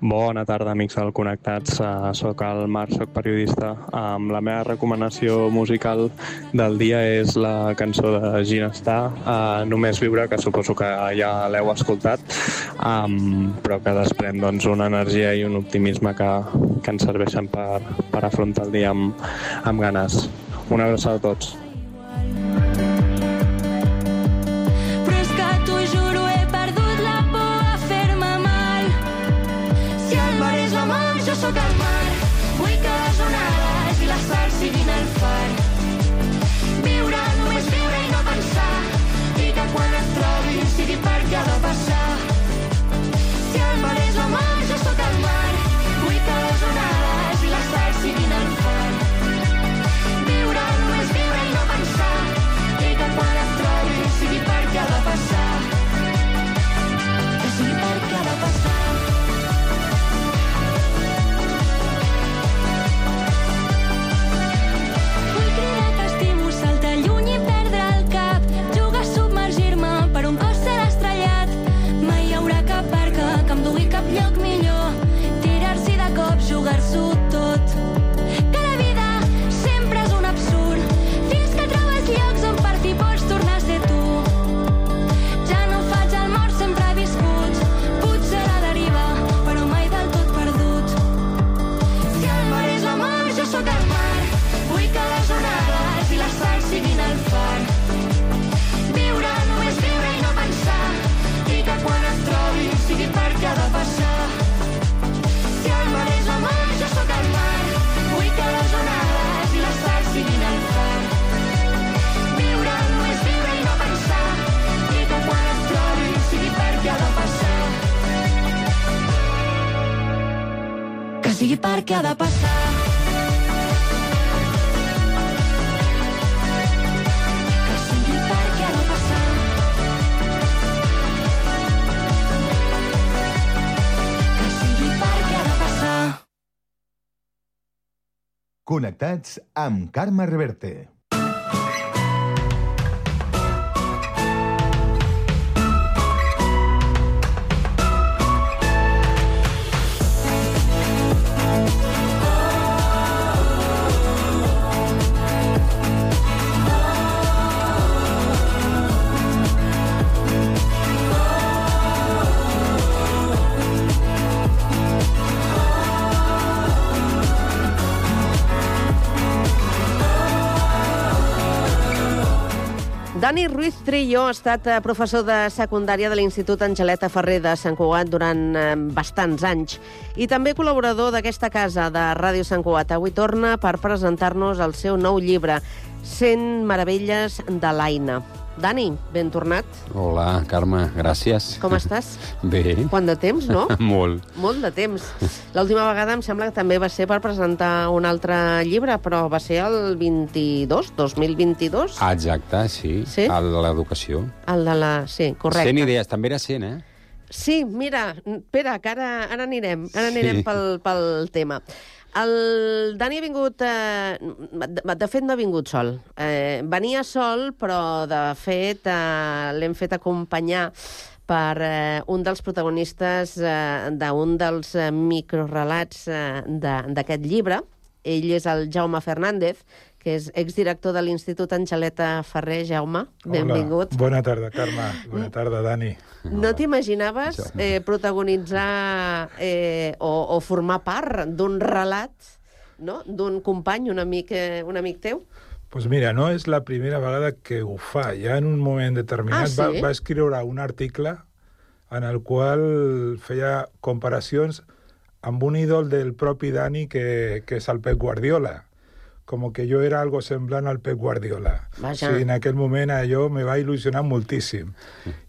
Bona tarda, amics del Connectats. Uh, soc el Marc, soc periodista. Um, la meva recomanació musical del dia és la cançó de Ginestar, uh, Només viure, que suposo que ja l'heu escoltat, um, però que desprèn doncs, una energia i un optimisme que, que ens serveixen per, per afrontar el dia amb, amb ganes. Una abraçada a tots. Sóc al mar, vull que les onades i la sal siguin el far. Viure, només viure i no pensar, i que quan et trobin sigui perquè ha de passar. Si el mar és l'amor, jo sóc al mar, vull que les onades i la sal siguin el far. Viure, només viure i no pensar, i que quan et trobin sigui perquè ha de passar. Que sigui perquè ha de passar. Jugar-s'ho tot, que la vida sempre és un absurd, fins que trobes llocs on partir pots tornar a ser tu. Ja no faig el mort, sempre he viscut, potser a la deriva, però mai del tot perdut. Si el mar és l'amor, jo sóc el mar, vull que les onades i la sal siguin el far. Viure, només viure i no pensar, i que quan et trobin sigui perquè ha de passar. Si el mar és l'amor, jo sóc el mar, vull que les onades i la sal siguin el far. Viure, només viure i no pensar, i que quan et trobin sigui perquè ha de passar. Que sigui perquè ha de passar. Que sigui perquè ha de passar. Connectats amb Carme Reverte. Dani Ruiz Trillo ha estat professor de secundària de l'Institut Angeleta Ferrer de Sant Cugat durant bastants anys i també col·laborador d'aquesta casa de Ràdio Sant Cugat. Avui torna per presentar-nos el seu nou llibre, cent meravelles de l'Aina. Dani, ben tornat. Hola, Carme, gràcies. Com estàs? Bé. Quant de temps, no? Molt. Molt de temps. L'última vegada em sembla que també va ser per presentar un altre llibre, però va ser el vint-i-dos, dos mil vint-i-dos. Ah, exacte, sí. Sí? El de l'educació. El de la... Sí, correcte. cent idees, també era cent, eh? Sí, mira, espera, que ara, ara anirem, ara anirem sí. pel, pel tema. El Dani ha vingut... Eh, de fet, no ha vingut sol. Eh, venia sol, però de fet eh, l'hem fet acompanyar per eh, un dels protagonistes eh, d'un dels eh, microrelats eh, d'aquest llibre. Ell és el Jaume Fernández, que és exdirector de l'Institut Angeleta Ferrer. Jaume, benvingut. Hola, bona tarda, Carme. Bona tarda, Dani. No t'imaginaves eh, protagonitzar eh, o, o formar part d'un relat, no? D'un company, un amic, eh, un amic teu? Pues mira, no és la primera vegada que ho fa. Ja en un moment determinat ah, sí? va, va escriure un article en el qual feia comparacions amb un ídol del propi Dani, que, que és el Pep Guardiola. Com que jo era algo semblant al Pep Guardiola. Vaja. Sí, en aquell moment allò me va il·lusionar moltíssim.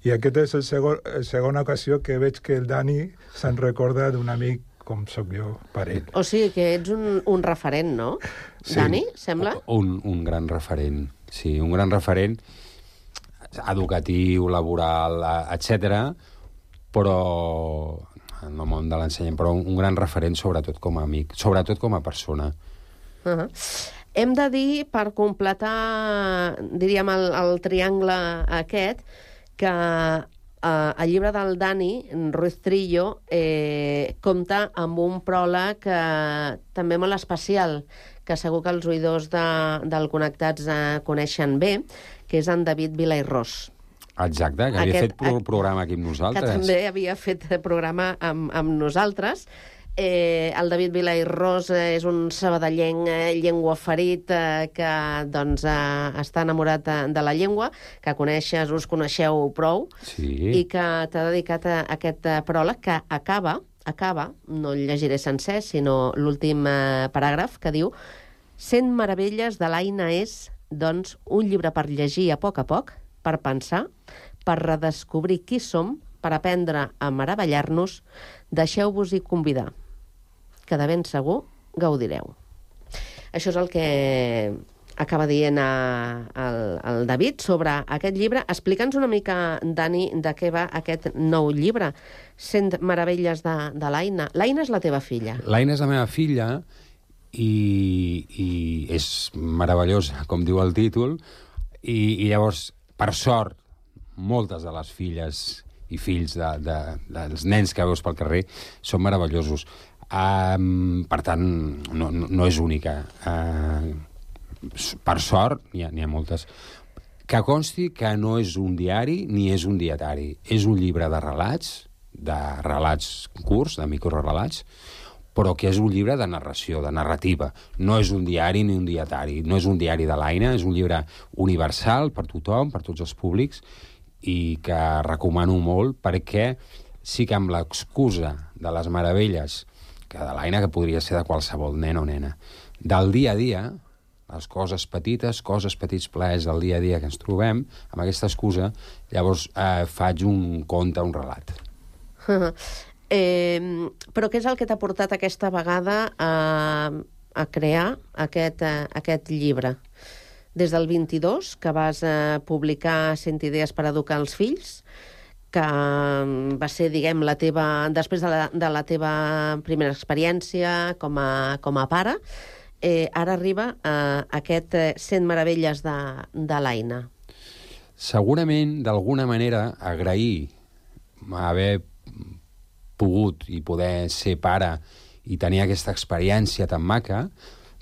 I aquest és el segon, la segona ocasió que veig que el Dani se'n recorda d'un amic com sóc jo, per ell. O sigui que ets un, un referent, no? Sí. Dani, sembla? Un, un gran referent, sí, un gran referent educatiu, laboral, etcètera, però en el món de l'ensenyament, però un gran referent sobretot com a amic, sobretot com a persona. Uh-huh. Hem de dir, per completar, diríem, el, el triangle aquest, que Uh, el llibre del Dani, Ruiz Trillo, eh, compta amb un pròleg eh, també molt especial, que segur que els oïdors de, del Connectats eh, coneixen bé, que és en David Vila i Ros. Exacte, que havia Aquest, fet pro programa aquí amb nosaltres. Que també havia fet programa amb, amb nosaltres. Eh, el David Vila i Ros és un sabadellenc eh, llengüaferit eh, que doncs, eh, està enamorat de, de la llengua, que coneixes, us coneixeu prou, sí. I que t'ha dedicat a aquest eh, pròleg que acaba, acaba, no el llegiré sencer, sinó l'últim eh, paràgraf, que diu: «Cent meravelles de l'Aina és, doncs, un llibre per llegir a poc a poc, per pensar, per redescobrir qui som, per aprendre a meravellar-nos. Deixeu-vos-hi convidar, que de ben segur gaudireu». Això és el que acaba dient a, el, el David sobre aquest llibre. Explica'ns una mica, Dani, de què va aquest nou llibre, Cent meravelles de, de l'Aina. L'Aina és la teva filla. L'Aina és la meva filla i, i és meravellosa, com diu el títol, i, i llavors, per sort, moltes de les filles i fills de, de, dels nens que veus pel carrer són meravellosos. Um, per tant, no, no, no és única. Uh, per sort, n'hi ha, n'hi ha moltes. Que consti que no és un diari ni és un dietari. És un llibre de relats, de relats curts, de microrelats, però que és un llibre de narració, de narrativa. No és un diari ni un dietari. No és un diari de l'Aina, és un llibre universal per tothom, per tots els públics, i que recomano molt perquè sí que amb l'excusa de les meravelles, que de l'Aina, que podria ser de qualsevol nen o nena, del dia a dia, les coses petites, coses petits plaers del dia a dia que ens trobem, amb aquesta excusa, llavors eh, faig un conte, un relat. eh, però què és el que t'ha portat aquesta vegada a, a crear aquest, a, aquest llibre? Des del vint-i-dos, que vas eh, publicar Cent idees per educar els fills, que va ser, diguem, la teva, després de la, de la teva primera experiència com a, com a pare, eh, ara arriba eh, aquest Cent meravelles de, de l'Aina. Segurament, d'alguna manera, agrair haver pogut i poder ser pare i tenir aquesta experiència tan maca,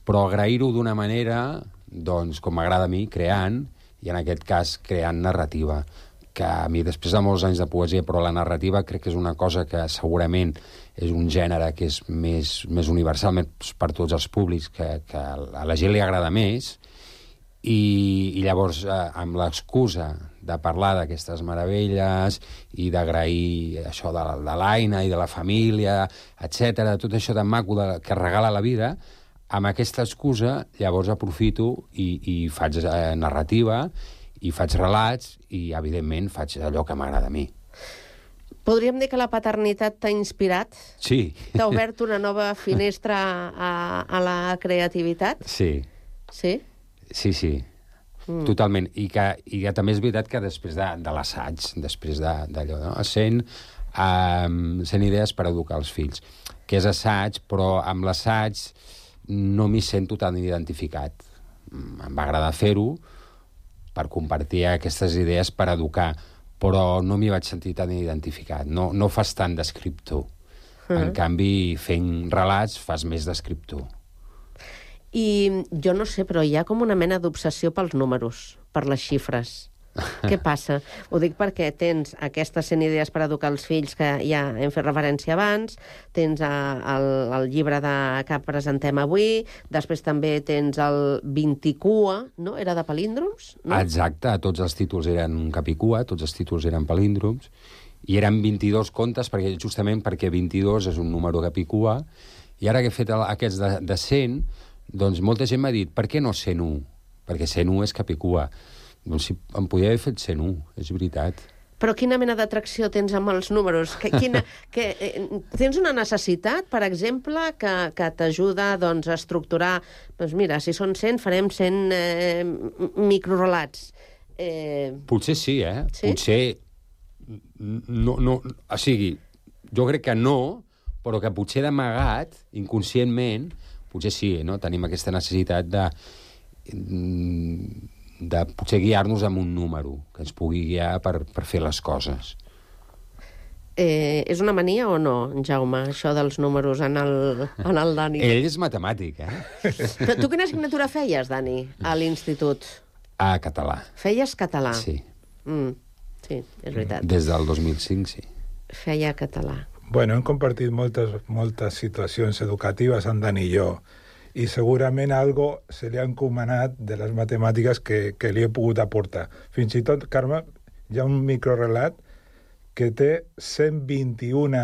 però agrair-ho d'una manera, doncs, com m'agrada a mi, creant, i en aquest cas creant narrativa, que a mi, després de molts anys de poesia, però la narrativa crec que és una cosa que segurament és un gènere que és més, més universal per tots els públics, que, que a la gent li agrada més, i, i llavors, eh, amb l'excusa de parlar d'aquestes meravelles i d'agrair això de, de l'Aina i de la família, etcètera, tot això tan maco de, que regala la vida, amb aquesta excusa, llavors aprofito i, i faig eh, narrativa, i faig relats, i, evidentment, faig allò que m'agrada a mi. Podríem dir que la paternitat t'ha inspirat? Sí. T'ha obert una nova finestra a, a la creativitat? Sí. Sí? Sí, sí. Mm. Totalment. I que, I que també és veritat que després de, de l'assaig, després d'allò, no? Cent, um, cent idees per educar els fills, que és assaig, però amb l'assaig no m'hi sento tan identificat. Em va agradar fer-ho per compartir aquestes idees per educar, però no m'hi vaig sentir tan identificat. No, no fas tant d'escriptor. Mm. En canvi, fent relats fas més d'escriptor. I jo no sé, però hi ha com una mena d'obsessió pels números, per les xifres. Què passa? Ho dic perquè tens aquestes cent idees per educar els fills que ja hem fet referència abans, tens el, el llibre de, que presentem avui, després també tens el vint-i-cua, no? Era de palíndroms? No? Exacte, tots els títols eren capicua, tots els títols eren palíndroms, i eren vint-i-dos contes, perquè justament perquè vint-i-dos és un número capicua, i ara que he fet el, aquests de, de cent, doncs molta gent m'ha dit, per què no cent u? Perquè cent u és capicua. Doncs si em podia haver fet cent u, és veritat. Però quina mena d'atracció tens amb els números? Que, quina, que, eh, tens una necessitat, per exemple, que, que t'ajuda doncs, a estructurar... Doncs mira, si són cent, farem cent eh, microrelats. Eh... Potser sí, eh? Sí? Potser... No, no, o sigui, jo crec que no, però que potser d'amagat, inconscientment, potser sí, no? Tenim aquesta necessitat de... de potser guiar-nos amb un número que ens pugui guiar per, per fer les coses. Eh, és una mania o no, Jaume, això dels números en el, en el Dani? Ell és matemàtic, eh? Però tu quina assignatura feies, Dani, a l'institut? A català. Feies català? Sí. Mm, sí, és veritat. Des del dos mil cinc, sí. Feia català. Bueno, hem compartit moltes, moltes situacions educatives, en Dani i jo, i segurament algo se li ha encomanat de les matemàtiques que, que li he pogut aportar. Fins i tot, Carme, hi ha un microrelat que té cent vint-i-un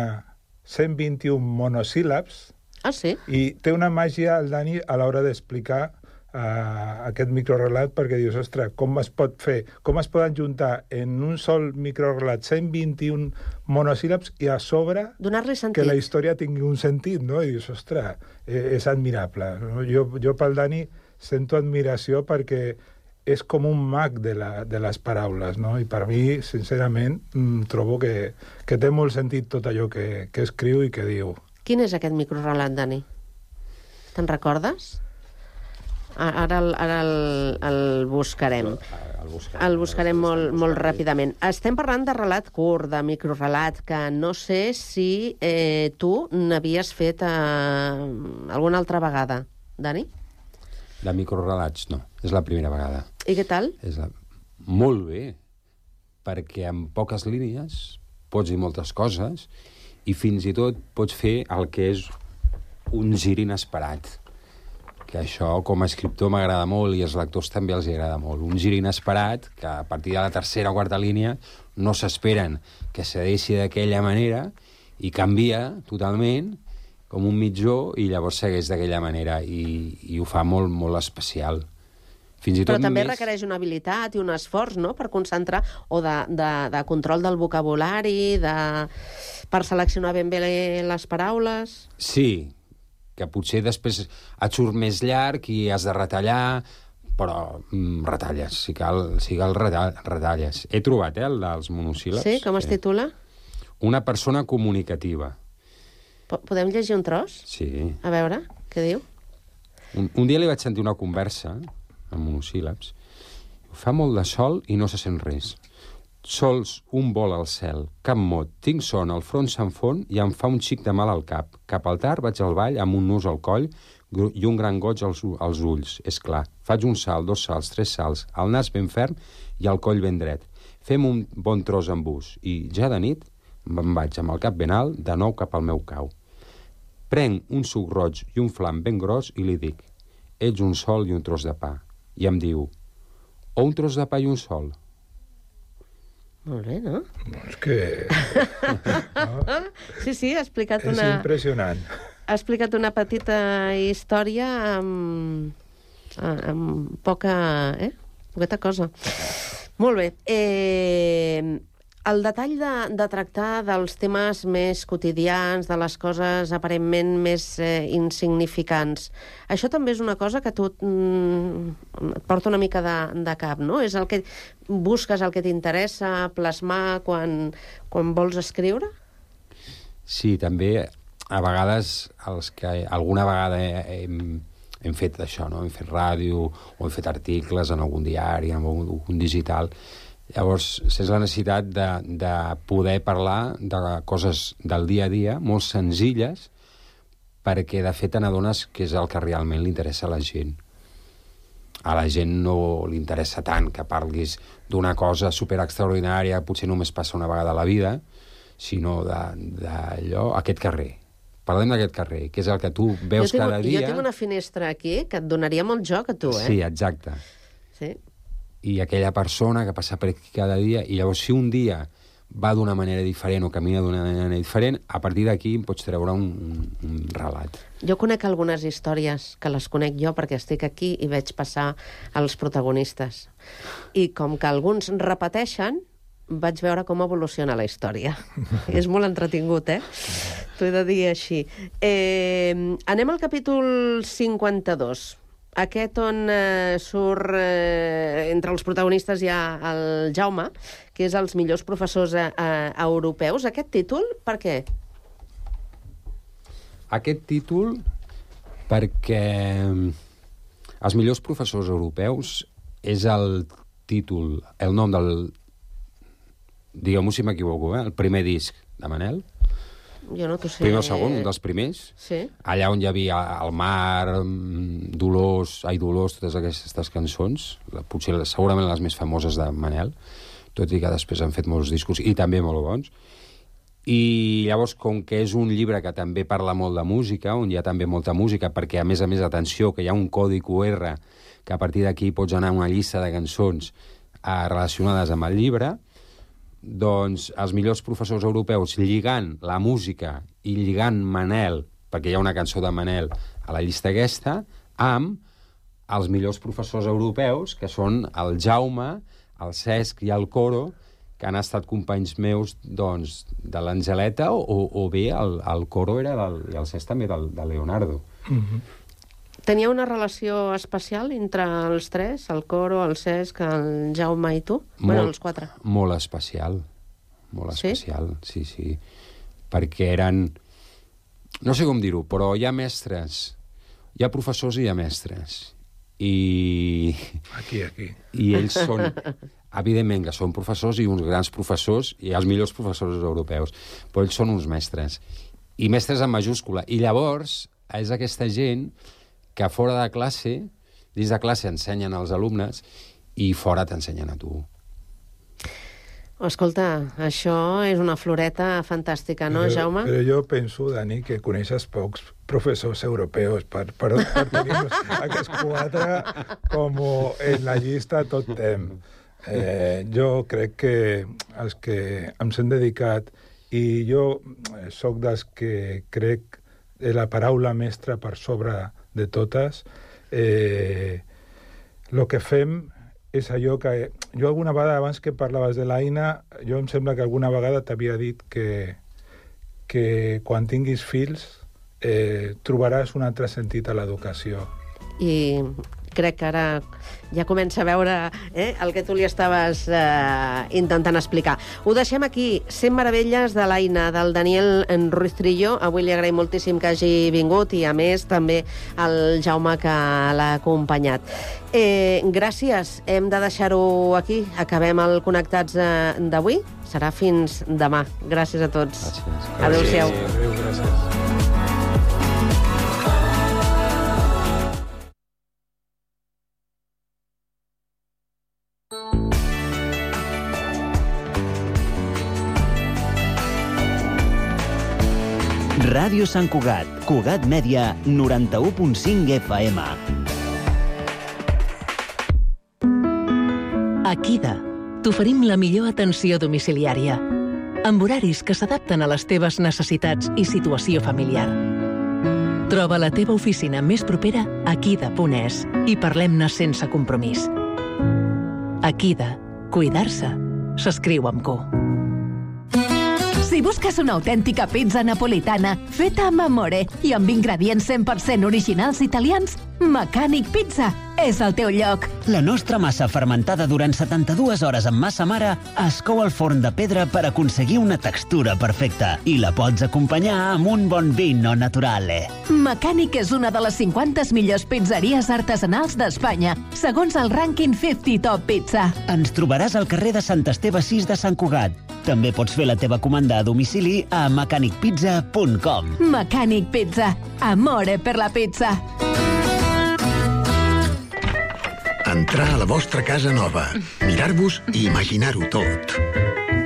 monosíl·labs. Ah, sí? I té una màgia, el Dani, a l'hora d'explicar uh, aquest microrelat, perquè dius, ostres, com es pot fer, com es poden juntar en un sol microrelat cent vint-i-un monosíl·labs i a sobre donar-li sentit, que la història tingui un sentit, no? I dius, ostres, eh, és admirable. No? Jo, jo pel Dani sento admiració perquè és com un mag de, la, de les paraules, no? I per mi, sincerament, trobo que, que té molt sentit tot allò que, que escriu i que diu. Quin és aquest microrelat, Dani? Te'n recordes? Ara el, ara el, el buscarem. El buscarem, el buscarem molt, molt ràpidament. Estem parlant de relat curt, de microrelat, que no sé si eh, tu n'havies fet eh, alguna altra vegada, Dani? De microrelats, no. És la primera vegada. I què tal? És la... Molt bé, perquè amb poques línies pots dir moltes coses i fins i tot pots fer el que és un gir inesperat. Que això, com a escriptor, m'agrada molt i als lectors també els agrada molt. Un gir inesperat que a partir de la tercera o quarta línia no s'esperen que se deixi d'aquella manera i canvia totalment com un mitjó, i llavors segueix d'aquella manera, i, i ho fa molt, molt especial. Fins i tot Però també més... requereix una habilitat i un esforç, no?, per concentrar, o de, de, de control del vocabulari, de... per seleccionar ben bé les paraules. Sí, que potser després et surt més llarg i has de retallar, però mm, retalles, si cal, si cal retalles. He trobat, eh, el dels monosíl·labs. Sí? Com es titula? Una persona comunicativa. Podem llegir un tros? Sí. A veure, què diu? Un, un dia li vaig sentir una conversa amb monosíl·labs. Fa molt de sol i no se sent res. Sols un vol al cel, cap mot. Tinc son, el front se'n fon i em fa un xic de mal al cap. Cap al tard vaig al ball amb un nus al coll i un gran goig als, als ulls. És clar, faig un salt, dos salts, tres salts, el nas ben ferm i el coll ben dret. Fem un bon tros amb bus i, ja de nit, me'n vaig amb el cap ben alt de nou cap al meu cau. Prenc un suc roig i un flam ben gros i li dic, ets un sol i un tros de pa. I em diu, o un tros de pa i un sol. Molt bé, no? No, és que... no? Sí, sí, ha explicat és una... És impressionant. Ha explicat una petita història amb, amb poca... Eh? Poqueta cosa. Molt bé. Eh... El detall de, de tractar dels temes més quotidians, de les coses aparentment més eh, insignificants, això també és una cosa que tu mm, et porta una mica de, de cap, no? És el que busques, el que t'interessa plasmar quan, quan vols escriure? Sí, també a vegades els que alguna vegada hem, hem fet això, no? Hem fet ràdio o hem fet articles en algun diari, en algun, algun digital. Llavors, és la necessitat de, de poder parlar de coses del dia a dia, molt senzilles, perquè, de fet, te n'adones que és el que realment li interessa a la gent. A la gent no li interessa tant que parlis d'una cosa superextraordinària, potser només passa una vegada a la vida, sinó d'allò, aquest carrer. Parlem d'aquest carrer, que és el que tu veus tinc, cada dia... Jo tinc una finestra aquí que et donaria molt joc a tu, eh? Sí, exacte. Sí. I aquella persona que passa per aquí cada dia, i llavors si un dia va d'una manera diferent o camina d'una manera diferent, a partir d'aquí em pots treure un, un, un relat. Jo conec algunes històries, que les conec jo perquè estic aquí i veig passar els protagonistes. I com que alguns repeteixen, vaig veure com evoluciona la història. És molt entretingut, eh? T'ho he de dir així. Eh, anem al capítol cinquanta-dos. Aquest on eh, surt, eh, entre els protagonistes hi ha el Jaume, que és els millors professors eh, europeus. Aquest títol, per què? Aquest títol perquè els millors professors europeus és el títol, el nom del... Digueu-m'ho si m'equivoco, eh? El primer disc de Manel. Jo no t'ho sé. Primer o segon, un dels primers. Sí. Allà on hi havia El mar, Dolors, Ai Dolors, totes aquestes cançons, potser segurament les més famoses de Manel, tot i que després han fet molts discos i també molt bons. I llavors, com que és un llibre que també parla molt de música, on hi ha també molta música, perquè a més a més, atenció, que hi ha un codi Q R que a partir d'aquí pots anar a una llista de cançons eh, relacionades amb el llibre, doncs els millors professors europeus lligant la música i lligant Manel, perquè hi ha una cançó de Manel a la llista aquesta, amb els millors professors europeus, que són el Jaume, el Cesc i el Coro, que han estat companys meus doncs, de l'Angeleta, o, o bé el, el Coro era del, i el Cesc també del, de Leonardo. Mm-hmm. Tenia una relació especial entre els tres, el Coro, el Cesc, el Jaume i tu? Molt, bueno, els quatre. Molt especial. Molt sí? especial, sí, sí. Perquè eren... No sé com dir-ho, però hi ha mestres. Hi ha professors i hi ha mestres. I... Aquí, aquí. I ells són... Evidentment que són professors i uns grans professors i els millors professors europeus, però ells són uns mestres. I mestres en majúscula. I llavors és aquesta gent que fora de classe, dins de classe ensenyen als alumnes i fora t'ensenyen a tu. Escolta, això és una floreta fantàstica, no, però, Jaume? Però jo penso, Dani, que coneixes pocs professors europeus per, per, per tenir aquests quatre com en la llista tot temps. Eh, jo crec que els que ens hem dedicat, i jo sóc dels que crec la paraula mestra per sobre de totes, eh, el que fem és allò que... Jo alguna vegada, abans que parlaves de l'Aina, jo em sembla que alguna vegada t'havia dit que, que quan tinguis fills eh, trobaràs un altre sentit a l'educació. I crec que ara ja comença a veure eh, el que tu li estaves eh, intentant explicar. Ho deixem aquí. cent meravelles de l'Aina, del Daniel Ruiz Trillo. Avui li agraïm moltíssim que hagi vingut i, a més, també el Jaume que l'ha acompanyat. Eh, gràcies. Hem de deixar-ho aquí. Acabem el Connectats eh, d'avui. Serà fins demà. Gràcies a tots. Gràcies. Adéu-siau. Adéu, gràcies. Ràdio Sant Cugat, Cugat Mèdia, noranta-u punt cinc F M. A Kida t'oferim la millor atenció domiciliària, amb horaris que s'adapten a les teves necessitats i situació familiar. Troba la teva oficina més propera a kida punt es i parlem-ne sense compromís. A Kida, cuidar-se s'escriu amb Q. Si busques una autèntica pizza napolitana feta amb amore i amb ingredients cent per cent originals italians, Mecànic Pizza és el teu lloc. La nostra massa fermentada durant setanta-dues hores amb massa mare es cou al forn de pedra per aconseguir una textura perfecta i la pots acompanyar amb un bon vino naturale. Mecànic és una de les cinquanta millors pizzeries artesanals d'Espanya, segons el rànquing cinquanta Top Pizza. Ens trobaràs al carrer de Sant Esteve sis de Sant Cugat. També pots fer la teva comanda a domicili a mecànic pizza punt com. Mecànic Pizza. Amore per la pizza. Entrar a la vostra casa nova, mirar-vos i imaginar-ho tot.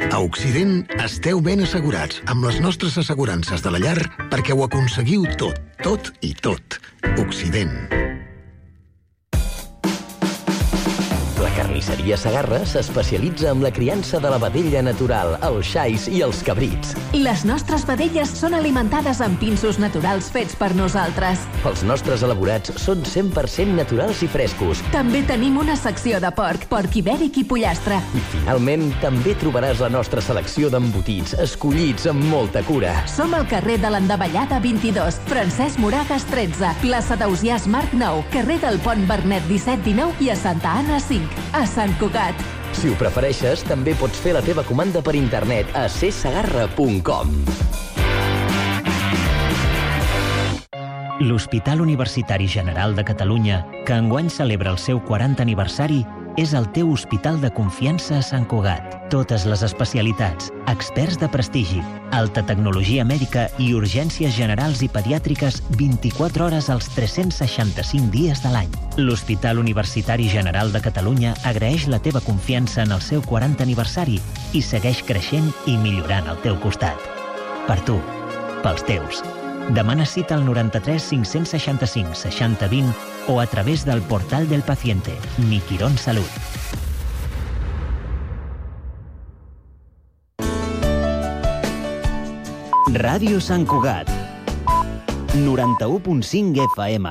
A Occident esteu ben assegurats amb les nostres assegurances de la llar perquè ho aconseguiu tot, tot i tot. Occident. La carnisseria Segarra s'especialitza en la criança de la vedella natural, els xais i els cabrits. Les nostres vedelles són alimentades amb pinsos naturals fets per nosaltres. Els nostres elaborats són cent per cent naturals i frescos. També tenim una secció de porc, porc ibèric i pollastre. I finalment, també trobaràs la nostra selecció d'embotits, escollits amb molta cura. Som al carrer de l'Endavellada vint-i-dos, Francesc Moragas tretze, plaça d'Ausiàs Marc nou, carrer del Pont Bernet disset dinou i a Santa Anna cinc, a Sant Cugat. Si ho prefereixes, també pots fer la teva comanda per internet a c segarra punt com. L'Hospital Universitari General de Catalunya, que enguany celebra el seu quaranta aniversari, és el teu hospital de confiança a Sant Cugat. Totes les especialitats, experts de prestigi, alta tecnologia mèdica i urgències generals i pediàtriques vint-i-quatre hores als tres-cents seixanta-cinc dies de l'any. L'Hospital Universitari General de Catalunya agraeix la teva confiança en el seu quaranta aniversari i segueix creixent i millorant al teu costat. Per tu, pels teus. Demana cita al noranta-tres cinc-cents seixanta-cinc seixanta vint o a través del portal del paciente, Mi Quirón Salut. Ràdio Sant Cugat, noranta-u punt cinc F M.